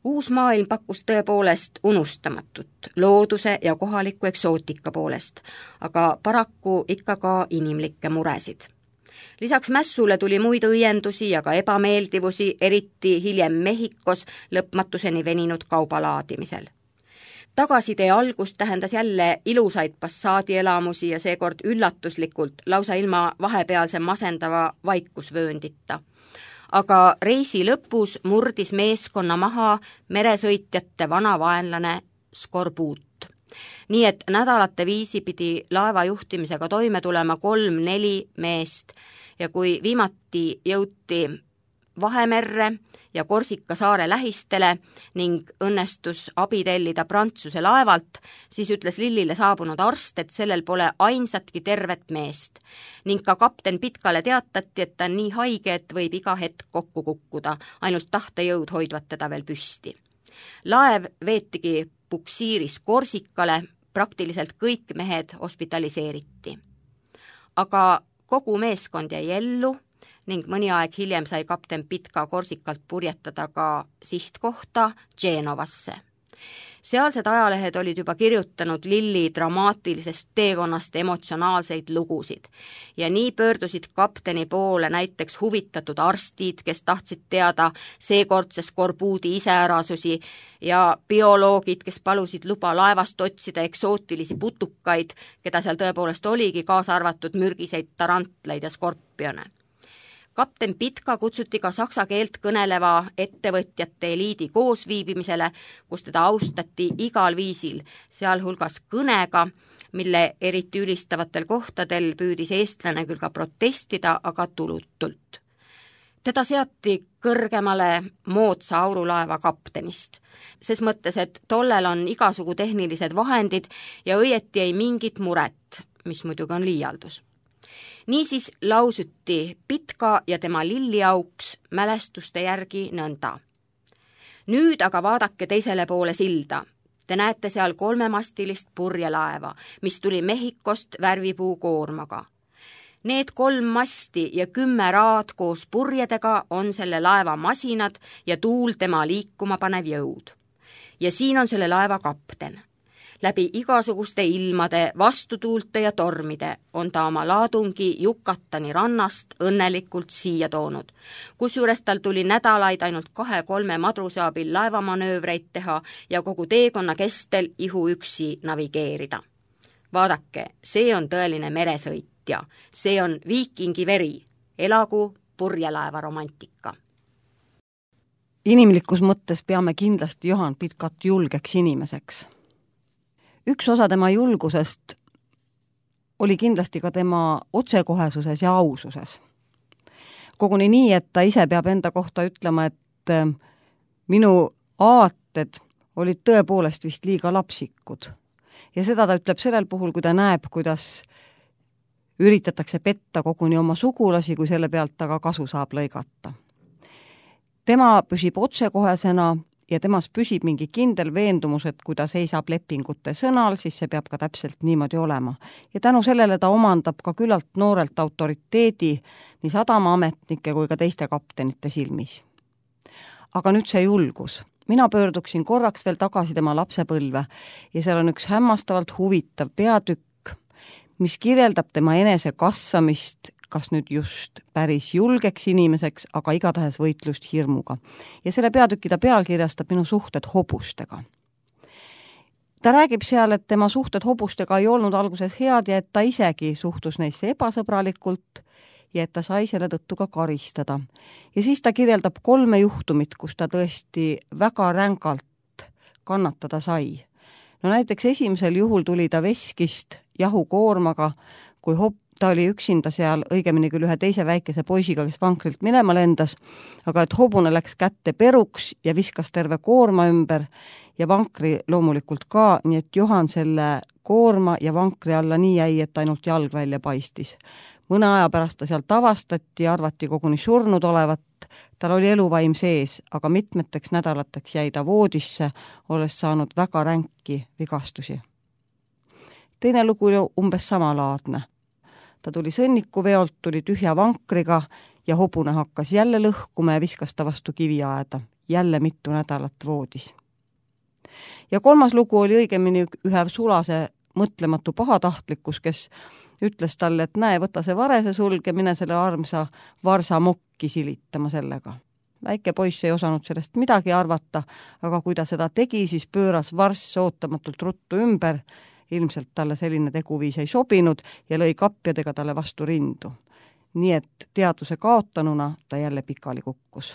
Uus maailm pakkus tõepoolest unustamatut looduse ja kohaliku eksootika poolest, aga paraku ikka ka inimlikke muresid. Lisaks mässule tuli muid õiendusi ja ka ebameeldivusi, eriti hiljem Mehhikos lõpmatuseni veninud kaubalaadimisel. Tagasitee algus tähendas jälle ilusaid passaadielamusi ja seekord üllatuslikult, lausa ilma vahepealse masendava vaikusvööndita. Aga reisi lõpus murdis meeskonna maha meresõitjate vana vaenlane skorbuut. Nii et nädalate viisi pidi laeva juhtimisega toime tulema 3-4 meest ja kui viimati jõuti Vahemerre ja Korsika saare lähistele ning õnnestus abi tellida Prantsuse laevalt, siis ütles Lillile saabunud arst, et sellel pole ainsatki tervet meest ning ka kapten Pitkale teatati, et ta on nii haige, et võib iga hetk kokku kukkuda, ainult tahtejõud hoidvat teda veel püsti. Laev veetigi puksiiris Korsikale, praktiliselt kõik mehed hospitaliseeriti. Aga kogu meeskond jäi ellu ning mõni aeg hiljem sai kapten Pitka Korsikalt purjetada ka sihtkohta Genovasse. Sealsed ajalehed olid juba kirjutanud Lilli dramaatilisest teekonnast emotsionaalseid lugusid ja nii pöördusid kapteni poole näiteks huvitatud arstid, kes tahtsid teada seekordse skorbuudi iseärasusi ja bioloogid, kes palusid luba laevast otsida eksootilisi putukaid, keda seal tõepoolest oligi, kaasa arvatud mürgiseid tarantleid ja skorpione. Kapten Pitka kutsuti ka saksa keelt kõneleva ettevõtjate eliidi koosviibimisele, kus teda austati igal viisil, sealhulgas kõnega, mille eriti ülistavatel kohtadel püüdis eestlane küll ka protestida, aga tulutult. teda seati kõrgemale moodsa aurulaeva kaptenist. Ses mõttes, et tollel on igasugu tehnilised vahendid ja õieti ei mingit muret, mis muidugi on liialdus. Niisiis lausuti Pitka ja tema lilliauks mälestuste järgi nõnda. Nüüd aga vaadake teisele poole silda. Te näete seal 3-mastilist purjelaeva, mis tuli Mehhikost värvipuu koormaga. Need 3 masti ja 10 raad koos purjedega on selle laeva masinad ja tuul tema liikuma panev jõud. Ja siin on selle laeva kapten. Läbi igasuguste ilmade, vastutuulte ja tormide on ta oma laadungi Yucatani rannast õnnelikult siia toonud, kusjuures tal tuli nädalaid ainult 2-3 madruse abil laevamanöövreid teha ja kogu teekonna kestel ihuüksi navigeerida. Vaadake, see on tõeline meresõitja, see on viikingi veri, elagu purjelaeva romantika. Inimlikus mõttes peame kindlasti Johan Pitkat julgeks inimeseks. Üks osa tema julgusest oli kindlasti ka tema otsekohesuses ja aususes. Koguni nii, et ta ise peab enda kohta ütlema, et minu aated olid tõepoolest vist liiga lapsikud. Ja seda ta ütleb sellel puhul, kui ta näeb, kuidas üritatakse petta koguni oma sugulasi, kui selle pealt ta ka kasu saab lõigata. Tema püsib otsekohesena ja temas püsib mingi kindel veendumus, et kui ta seisab lepingute sõnal, siis see peab ka täpselt niimoodi olema. Ja tänu sellele ta omandab ka küllalt noorelt autoriteedi nii sadamaametnike kui ka teiste kaptenite silmis. Aga nüüd see julgus. Mina pöörduksin korraks veel tagasi tema lapsepõlve ja seal on üks hämmastavalt huvitav peatükk, mis kirjeldab tema enese kasvamist kas nüüd just päris julgeks inimeseks, aga igatahes võitlust hirmuga. Ja selle peatüki ta pealkirjastab minu suhted hobustega. Ta räägib seal, et tema suhted hobustega ei olnud alguses head ja et ta isegi suhtus neisse ebasõbralikult ja et ta sai selle tõttu ka karistada. Ja siis ta kirjeldab 3 juhtumit, kus ta tõesti väga rängalt kannatada sai. No näiteks esimesel juhul tuli ta veskist jahukoormaga, kui ta oli üksinda seal, õigemini küll ühe teise väikese poisiga, kes vankrilt minema lendas, aga et hobune läks kätte peruks ja viskas terve koorma ümber ja vankri loomulikult ka, nii et Johan selle koorma ja vankri alla nii jäi, et ainult jalg välja paistis. Mõne aja pärast ta sealt avastati ja arvati koguni surnud olevat, tal oli eluvaim sees, aga mitmeteks nädalateks jäi ta voodisse, olles saanud väga ränki vigastusi. Teine lugu oli umbes samalaadne. Ta tuli sõnnikuveolt, tuli tühja vankriga ja hobune hakkas jälle lõhkuma ja viskas ta vastu kiviaeda. Jälle mitu nädalat voodis. Ja 3. lugu oli õigemini ühe sulase mõtlematu pahatahtlikkus, kes ütles talle, et näe, võta see varese sulg ja mine selle armsa varsa mokki silitama sellega. Väike poiss ei osanud sellest midagi arvata, aga kui ta seda tegi, siis pööras varss ootamatult ruttu ümber. Ilmselt talle selline teguviis ei sobinud ja lõi kapjadega talle vastu rindu. Nii et teadvuse kaotanuna ta jälle pikali kukkus.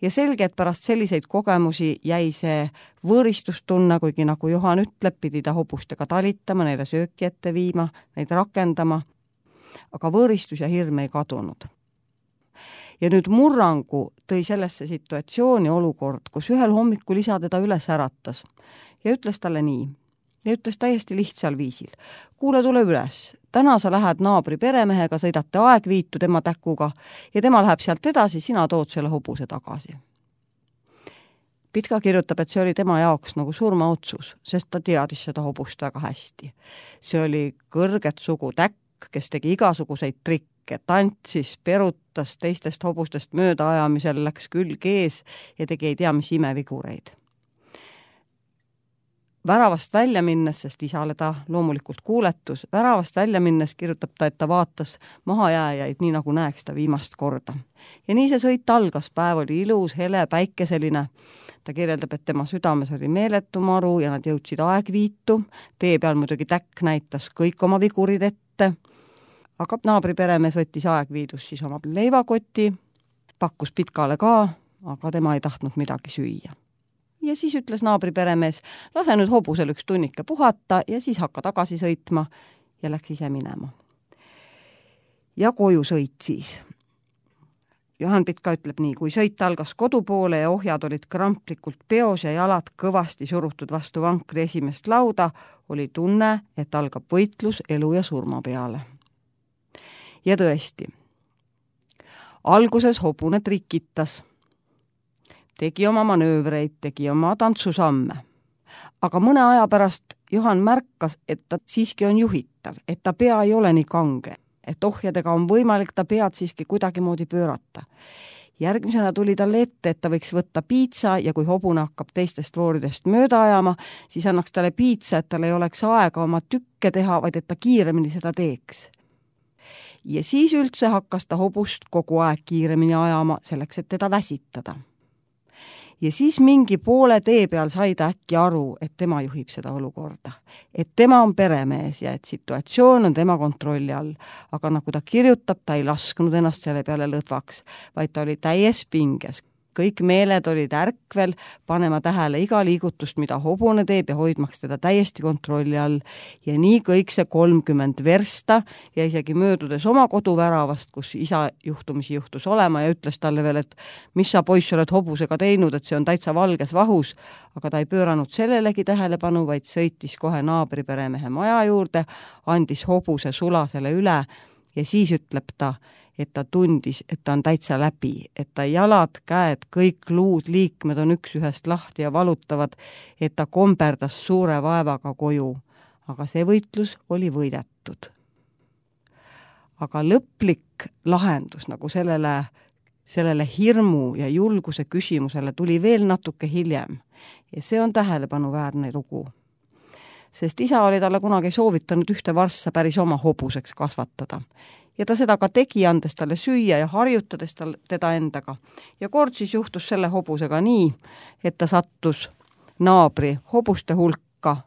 Ja selge, et pärast selliseid kogemusi jäi see võõristustunne, kuigi nagu Johan ütleb, pidi ta hobustega talitama, neile sööki ette viima, neid rakendama, aga võõristus ja hirm ei kadunud. Ja nüüd murrangu tõi sellesse situatsiooni olukord, kus ühel hommikul isa teda üles äratas ja ütles talle nii. Ja ütles täiesti lihtsal viisil. Kuule, tule üles. Täna sa lähed naabri peremehega, sõidate aegviitu tema täkuga ja tema läheb sealt edasi, sina tood selle hobuse tagasi. Pitka kirjutab, et see oli tema jaoks nagu surmaotsus, sest ta teadis seda hobust väga hästi. See oli kõrget sugu täkk, kes tegi igasuguseid trikke, tantsis, perutas teistest hobustest möödaajamisel, läks külg ees ja tegi ei tea mis imevigureid. Väravast välja minnes, sest isale ta loomulikult kuuletus, väravast välja minnes kirjutab ta, et ta vaatas mahajääjaid nii nagu näeks ta viimast korda. Ja nii see sõit algas, päev oli ilus, hele, päikeseline. Ta kirjeldab, et tema südames oli meeletu maru ja nad jõudsid aegviitu. Tee peal muidugi täkk näitas kõik oma vigurid ette. Aga naabri peremees võttis aegviidus siis oma leivakoti, pakkus Pitkale ka, aga tema ei tahtnud midagi süüa. Ja siis ütles naabri peremees, lase nüüd hobusel üks tunnike puhata ja siis hakka tagasi sõitma ja läks ise minema. Ja koju sõit siis. Juhan Pitka ütleb nii, kui sõit algas kodu poole ja ohjad olid kramplikult peos ja jalad kõvasti surutud vastu vankri esimest lauda, oli tunne, et algab võitlus elu ja surma peale. Ja tõesti, alguses hobune trikitas, tegi oma manöövreid, tegi oma tantsusamme. Aga mõne aja pärast Juhan märkas, et ta siiski on juhitav, et ta pea ei ole nii kange, et ohjadega on võimalik ta pead siiski kuidagimoodi pöörata. Järgmisena tuli talle ette, et ta võiks võtta piitsa ja kui hobune hakkab teistest vooridest mööda ajama, siis annaks talle piitsa, et tal ei oleks aega oma tükke teha, vaid et ta kiiremini seda teeks. Ja siis üldse hakkas ta hobust kogu aeg kiiremini ajama, selleks, et teda väsitada. Ja siis mingi poole tee peal sai ta äkki aru, et tema juhib seda olukorda. Et tema on peremees ja et situatsioon on tema kontrolli all. Aga nagu ta kirjutab, ta ei lasknud ennast selle peale lõdvaks, vaid ta oli täies pinges. Kõik meeled olid ärkvel, panema tähele iga liigutust, mida hobune teeb ja hoidmaks teda täiesti kontrolli all. Ja nii kõik see 30 versta ja isegi möödudes oma koduväravast, kus isa juhtumisi juhtus olema ja ütles talle veel, et mis sa poiss oled hobusega teinud, et see on täitsa valges vahus, aga ta ei pööranud sellelegi tähelepanu, vaid sõitis kohe naabriperemehe maja juurde, andis hobuse sulasele üle ja siis ütleb ta, et ta tundis, et ta on täitsa läbi, et ta jalad, käed, kõik luud, liikmed on üks ühest lahti ja valutavad, et ta komberdas suure vaevaga koju. Aga see võitlus oli võidetud. Aga lõplik lahendus nagu sellele hirmu ja julguse küsimusele tuli veel natuke hiljem ja see on tähelepanuväärne lugu. Sest isa oli talle kunagi soovitanud ühte varssa päris oma hobuseks kasvatada. Ja ta seda ka tegi, andes talle süüa ja harjutades teda endaga. Ja kord siis juhtus selle hobusega nii, et ta sattus naabri hobuste hulka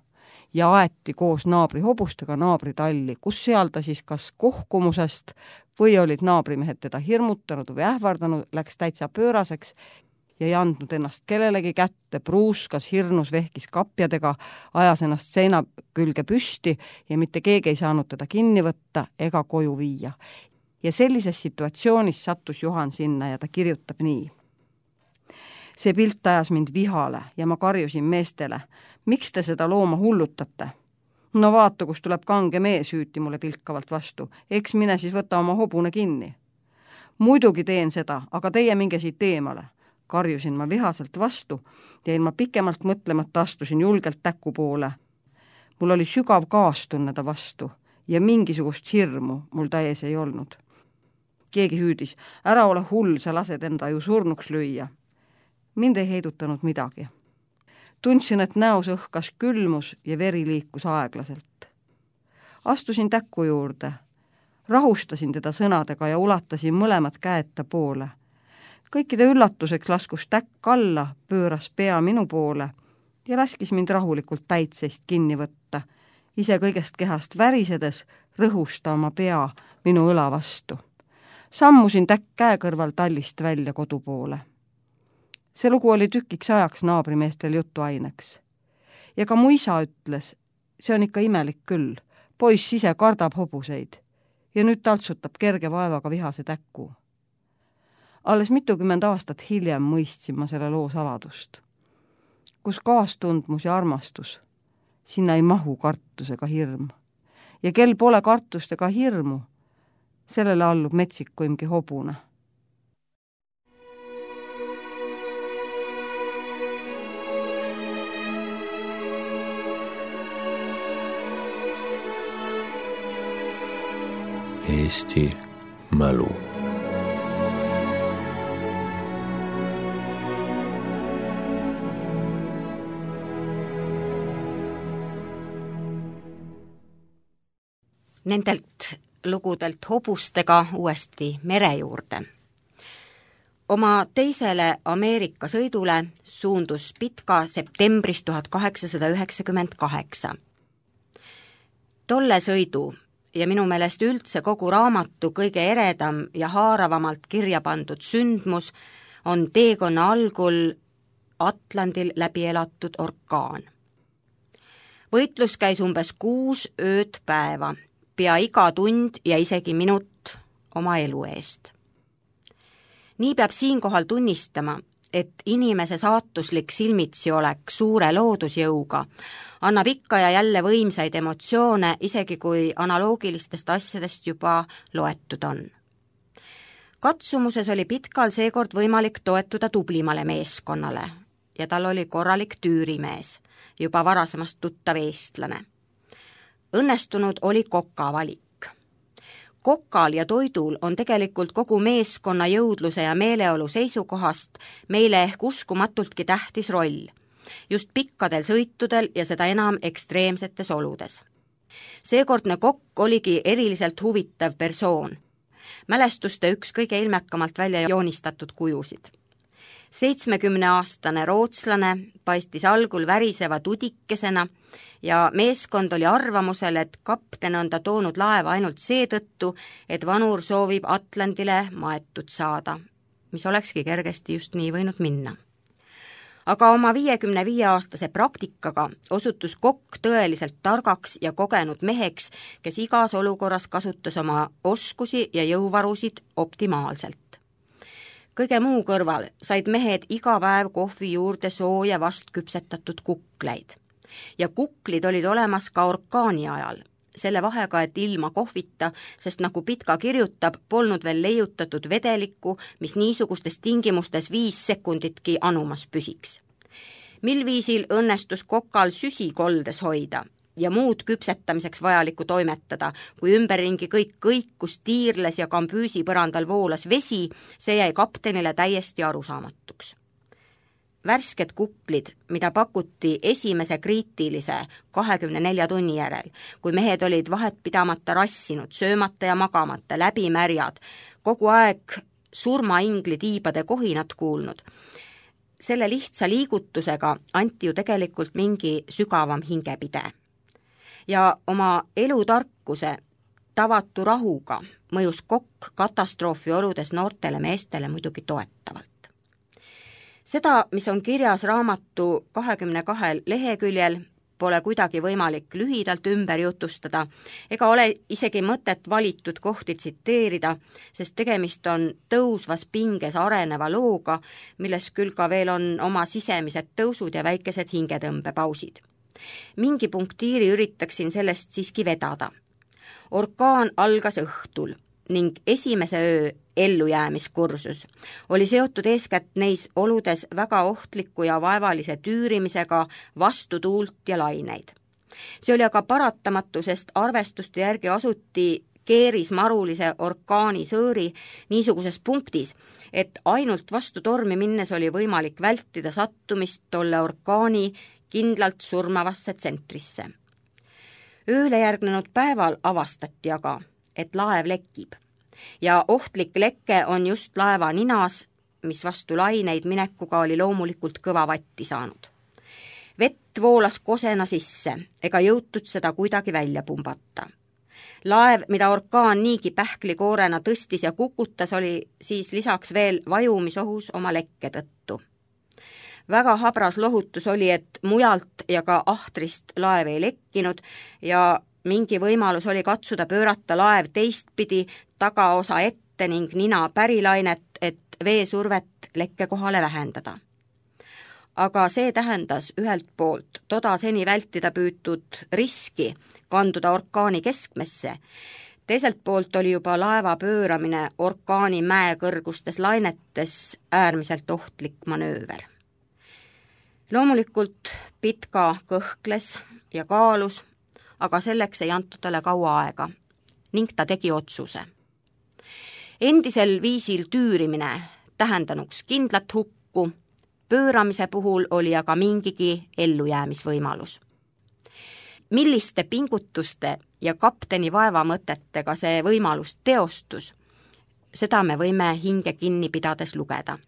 ja aeti koos naabri hobustega naabri talli, kus seal ta siis kas kohkumusest või olid naabrimehed teda hirmutanud või ähvardanud, läks täitsa pööraseks ja ei andnud ennast kellelegi kätte, pruuskas, hirnus, vehkis kapjadega, ajas ennast seina külge püsti ja mitte keegi ei saanud teda kinni võtta ega koju viia. Ja sellises situatsioonis sattus Juhan sinna ja ta kirjutab nii. See pilt ajas mind vihale ja ma karjusin meestele, miks te seda looma hullutate? No vaata, kus tuleb kange mees, hüüti mulle pilkavalt vastu, eks mine siis võta oma hobune kinni. Muidugi teen seda, aga teie minge siit eemale. Karjusin ma vihaselt vastu ja ilma pikemalt mõtlemata astusin julgelt täku poole. Mul oli sügav kaastunne ta vastu ja mingisugust hirmu mul täies ei olnud. Keegi hüüdis, ära ole hull, sa lased enda ju surnuks lüüa. Mind ei heidutanud midagi. Tundsin, et näos õhkas külmus ja veri liikus aeglaselt. Astusin täku juurde, rahustasin teda sõnadega ja ulatasin mõlemad käed ta poole. Kõikide üllatuseks laskus täkk alla, pööras pea minu poole ja laskis mind rahulikult päitseist kinni võtta. Ise kõigest kehast värisedes rõhus ta oma pea minu õla vastu. Sammusin täkk käe kõrval tallist välja kodu poole. See lugu oli tükiks ajaks naabrimeestel jutuaineks. Ja ka mu isa ütles, see on ikka imelik küll, poiss ise kardab hobuseid ja nüüd taltsutab kerge vaevaga vihase täkku. Alles mitukümmend aastat hiljem mõistsin ma selle loo saladust. Kus kaastundmus ja armastus, sinna ei mahu kartus ega hirm. Ja kel pole kartust ega hirmu, sellele allub metsikuimgi hobune. Eesti mälu. Nendelt lugudelt hobustega uuesti mere juurde. Oma teisele Ameerika sõidule suundus Pitka septembris 1898. Tolle sõidu ja minu meelest üldse kogu raamatu kõige eredam ja haaravamalt kirja pandud sündmus on teekonna algul Atlandil läbi elatud orkaan. Võitlus käis umbes 6 ööd päeva, pea iga tund ja isegi minut oma elu eest. nii peab siinkohal tunnistama, et inimese saatuslik silmitsi olek suure loodusjõuga annab ikka ja jälle võimsaid emotsioone, isegi kui analoogilistest asjadest juba loetud on. Katsumuses oli Pitkal seekord võimalik toetuda tublimale meeskonnale ja tal oli korralik tüürimees, juba varasemast tuttav eestlane. Õnnestunud oli koka valik. Kokal ja toidul on tegelikult kogu meeskonna jõudluse ja meeleolu seisukohast meile ehk uskumatultki tähtis roll, just pikkadel sõitudel ja seda enam ekstreemsetes oludes. Seekordne kokk oligi eriliselt huvitav persoon, mälestuste üks kõige ilmekamalt välja joonistatud kujusid. 70-aastane rootslane paistis algul väriseva tudikesena ja meeskond oli arvamusel, et kapten on ta toonud laeva ainult seetõttu, et vanur soovib Atlandile maetud saada, mis olekski kergesti just nii võinud minna. Aga oma 55-aastase praktikaga osutus kokk tõeliselt targaks ja kogenud meheks, kes igas olukorras kasutas oma oskusi ja jõuvarusid optimaalselt. Kõige muu kõrval said mehed iga päev kohvi juurde sooja vast küpsetatud kukleid. Ja kuklid olid olemas ka orkaani ajal, selle vahega, et ilma kohvita, sest nagu Pitka kirjutab, polnud veel leiutatud vedelikku, mis niisugustes tingimustes 5 sekunditki anumas püsiks. Mil viisil õnnestus kokal süsi koldes hoida ja muud küpsetamiseks vajalikku toimetada, kui ümberringi kõik kõikus, tiirles ja kambüüsi põrandal voolas vesi, see jäi kaptenile täiesti arusaamatuks. Värsked kuklid, mida pakuti esimese kriitilise 24 tunni järel, kui mehed olid vahet pidamata rassinud, söömata ja magamata, läbimärjad, kogu aeg surmaingli tiibade kohinat kuulnud. Selle lihtsa liigutusega anti ju tegelikult mingi sügavam hingepide. Ja oma elutarkuse, tavatu rahuga mõjus kokk katastroofi oludes noortele meestele muidugi toetavalt. Seda, mis on kirjas raamatu 22 leheküljel, pole kuidagi võimalik lühidalt ümber jutustada ega ole isegi mõtet valitud kohti tsiteerida, sest tegemist on tõusvas pinges areneva looga, milles küll ka veel on oma sisemised tõusud ja väikesed hingetõmbepausid. Mingi punktiiri üritaksin sellest siiski vedada. Orkaan algas õhtul ning esimese öö ellujäämiskursus oli seotud eeskätt neis oludes väga ohtliku ja vaevalise tüürimisega vastu tuult ja laineid. See oli aga paratamatu, sest arvestuste järgi asuti keerismarulise orkaani sõõri niisuguses punktis, et ainult vastu tormi minnes oli võimalik vältida sattumist tolle orkaani kindlalt surmavasse tsentrisse. Ööle järgnenud päeval avastati aga, et laev lekib ja ohtlik leke on just laeva ninas, mis vastu laineid minekuga oli loomulikult kõva vatti saanud. Vett voolas kosena sisse, ega jõutud seda kuidagi välja pumbata. Laev, mida orkaan niigi pähklikoorena tõstis ja kukutas, oli siis lisaks veel vajumisohus oma lekke tõttu. Väga habras lohutus oli, et mujalt ja ka ahtrist laev ei lekkinud ja mingi võimalus oli katsuda pöörata laev teistpidi tagaosa ette ning nina pärilainet, et veesurvet lekke kohale vähendada. Aga see tähendas ühelt poolt toda seni vältida püütud riski kanduda orkaani keskmesse, teiselt poolt oli juba laeva pööramine orkaani mäekõrgustes lainetes äärmiselt ohtlik manööver. Loomulikult Pitka kõhkles ja kaalus, aga selleks ei antud talle kaua aega ning ta tegi otsuse. Endisel viisil tüürimine tähendanuks kindlat hukku, pööramise puhul oli aga mingigi ellujäämisvõimalus. Milliste pingutuste ja kapteni vaevamõtetega see võimalus teostus, seda me võime hinge kinni pidades lugeda.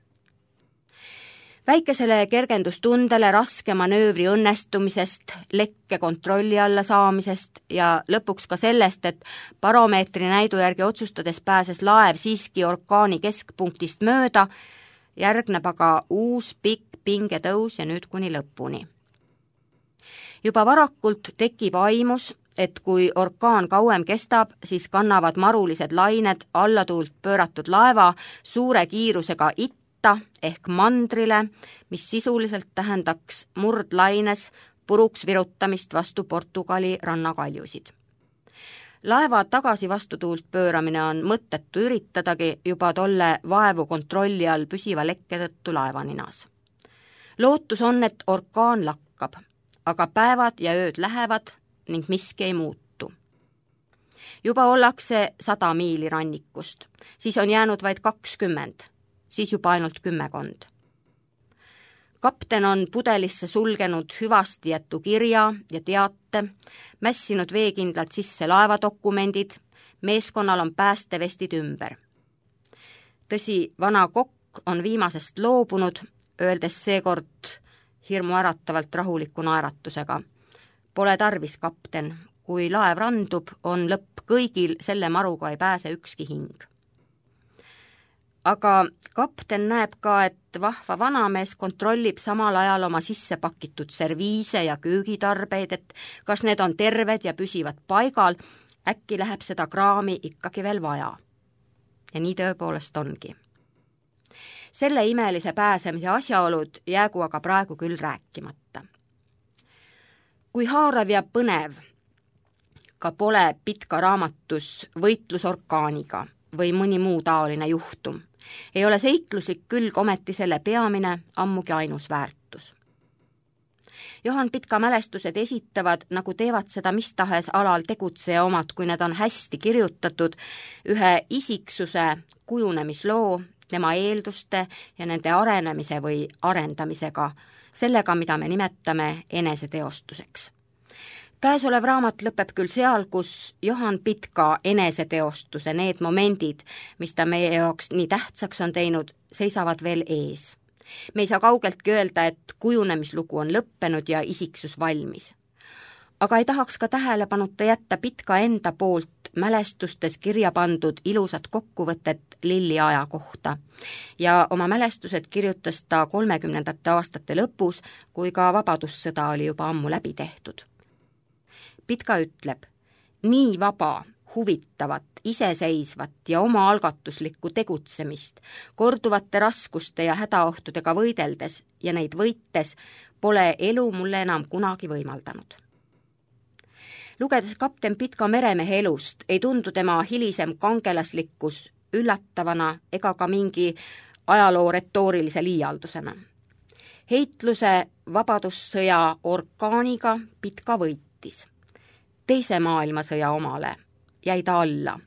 Väikesele kergendustundele raske manöövri õnnestumisest, lekke kontrolli alla saamisest ja lõpuks ka sellest, et baromeetri näidu järgi otsustades pääses laev siiski orkaani keskpunktist mööda, järgneb aga uus pikk pingetõus ja nüüd kuni lõpuni. Juba varakult tekib aimus, et kui orkaan kauem kestab, siis kannavad marulised lained allatuult pööratud laeva suure kiirusega itta ehk mandrile, mis sisuliselt tähendaks murdlaines puruks virutamist vastu Portugali rannakaljusid. Laeva tagasi vastutuult pööramine on mõttetu üritadagi juba tolle vaevu kontrolli all püsiva lekke tõttu laevaninas. Lootus on, et orkaan lakkab, aga päevad ja ööd lähevad ning miski ei muutu. Juba ollakse 100 miili rannikust, siis on jäänud vaid 20, siis juba ainult 10. Kapten on pudelisse sulgenud hüvasti jätu kirja ja teate, mässinud veekindlalt sisse laevadokumendid, meeskonnal on päästevestid ümber. Tõsi, vana kokk on viimasest loobunud, öeldes seekord hirmuäratavalt rahuliku naeratusega. Pole tarvis, kapten, kui laev randub, on lõpp kõigil, selle maruga ei pääse ükski hing. Aga kapten näeb ka, et vahva vanamees kontrollib samal ajal oma sisse pakitud serviise ja köögitarbeid, et kas need on terved ja püsivad paigal, äkki läheb seda kraami ikkagi veel vaja. Ja nii tõepoolest ongi. Selle imelise pääsemise asjaolud jäägu aga praegu küll rääkimata. Kui haarav ja põnev ka pole Pitka raamatus võitlus orkaaniga või mõni muu taoline juhtum, ei ole seikluslik külg ometi selle peamine, ammugi ainus väärtus. Johan Pitka mälestused esitavad, nagu teevad seda mis tahes alal tegutseja omad, kui need on hästi kirjutatud, ühe isiksuse kujunemisloo, tema eelduste ja nende arenemise või arendamisega, sellega, mida me nimetame eneseteostuseks. Käesolev raamat lõpeb küll seal, kus Johan Pitka eneseteostuse need momendid, mis ta meie jaoks nii tähtsaks on teinud, seisavad veel ees. Me ei saa kaugeltki öelda, et kujunemislugu on lõppenud ja isiksus valmis. Aga ei tahaks ka tähelepanuta jätta Pitka enda poolt mälestustes kirja pandud ilusat kokkuvõtet Lilli aja kohta. Ja oma mälestused kirjutas ta 30. aastate lõpus, kui ka vabadussõda oli juba ammu läbi tehtud. Pitka ütleb, nii vaba, huvitavat, iseseisvat ja omaalgatuslikku tegutsemist, korduvate raskuste ja hädaohtudega võideldes ja neid võites, pole elu mulle enam kunagi võimaldanud. Lugedes kapten Pitka meremehe elust, ei tundu tema hilisem kangelaslikkus üllatavana ega ka mingi ajaloo retoorilise liialdusena. Heitluse vabadussõja orkaaniga Pitka võitis. Teise maailmasõja omale jäi ta alla,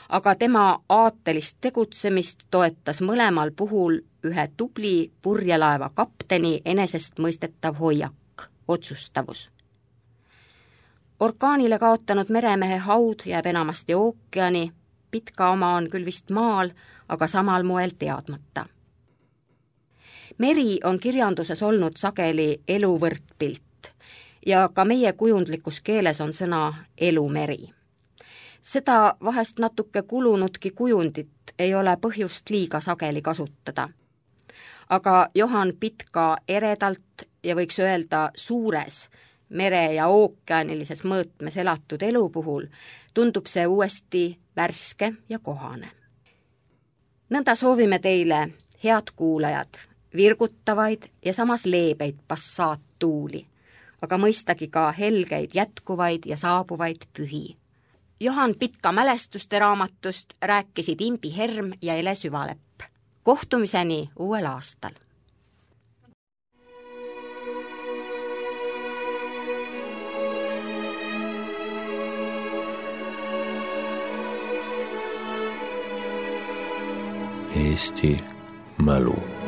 aga tema aatelist tegutsemist toetas mõlemal puhul ühe tubli purjelaeva kapteni enesestmõistetav hoiak, otsustavus. Orkaanile kaotanud meremehe haud jääb enamasti ookeani, Pitka oma on küll vist maal, aga samal moel teadmata. Meri on kirjanduses olnud sageli elu võrdpilt ja ka meie kujundlikus keeles on sõna elumeri. Seda vahest natuke kulunudki kujundit ei ole põhjust liiga sageli kasutada. Aga Johan Pitka eredalt ja võiks öelda suures mere- ja ookeanilises mõõtmes elatud elu puhul tundub see uuesti värske ja kohane. Nõnda soovime teile, head kuulajad, virgutavaid ja samas leebeid passaattuuli, aga mõistagi ka helgeid jätkuvaid ja saabuvaid pühi. Johan Pitka mälestuste raamatust rääkisid Imbi Herm ja Ele Süvalepp. Kohtumiseni uuel aastal! Eesti mälu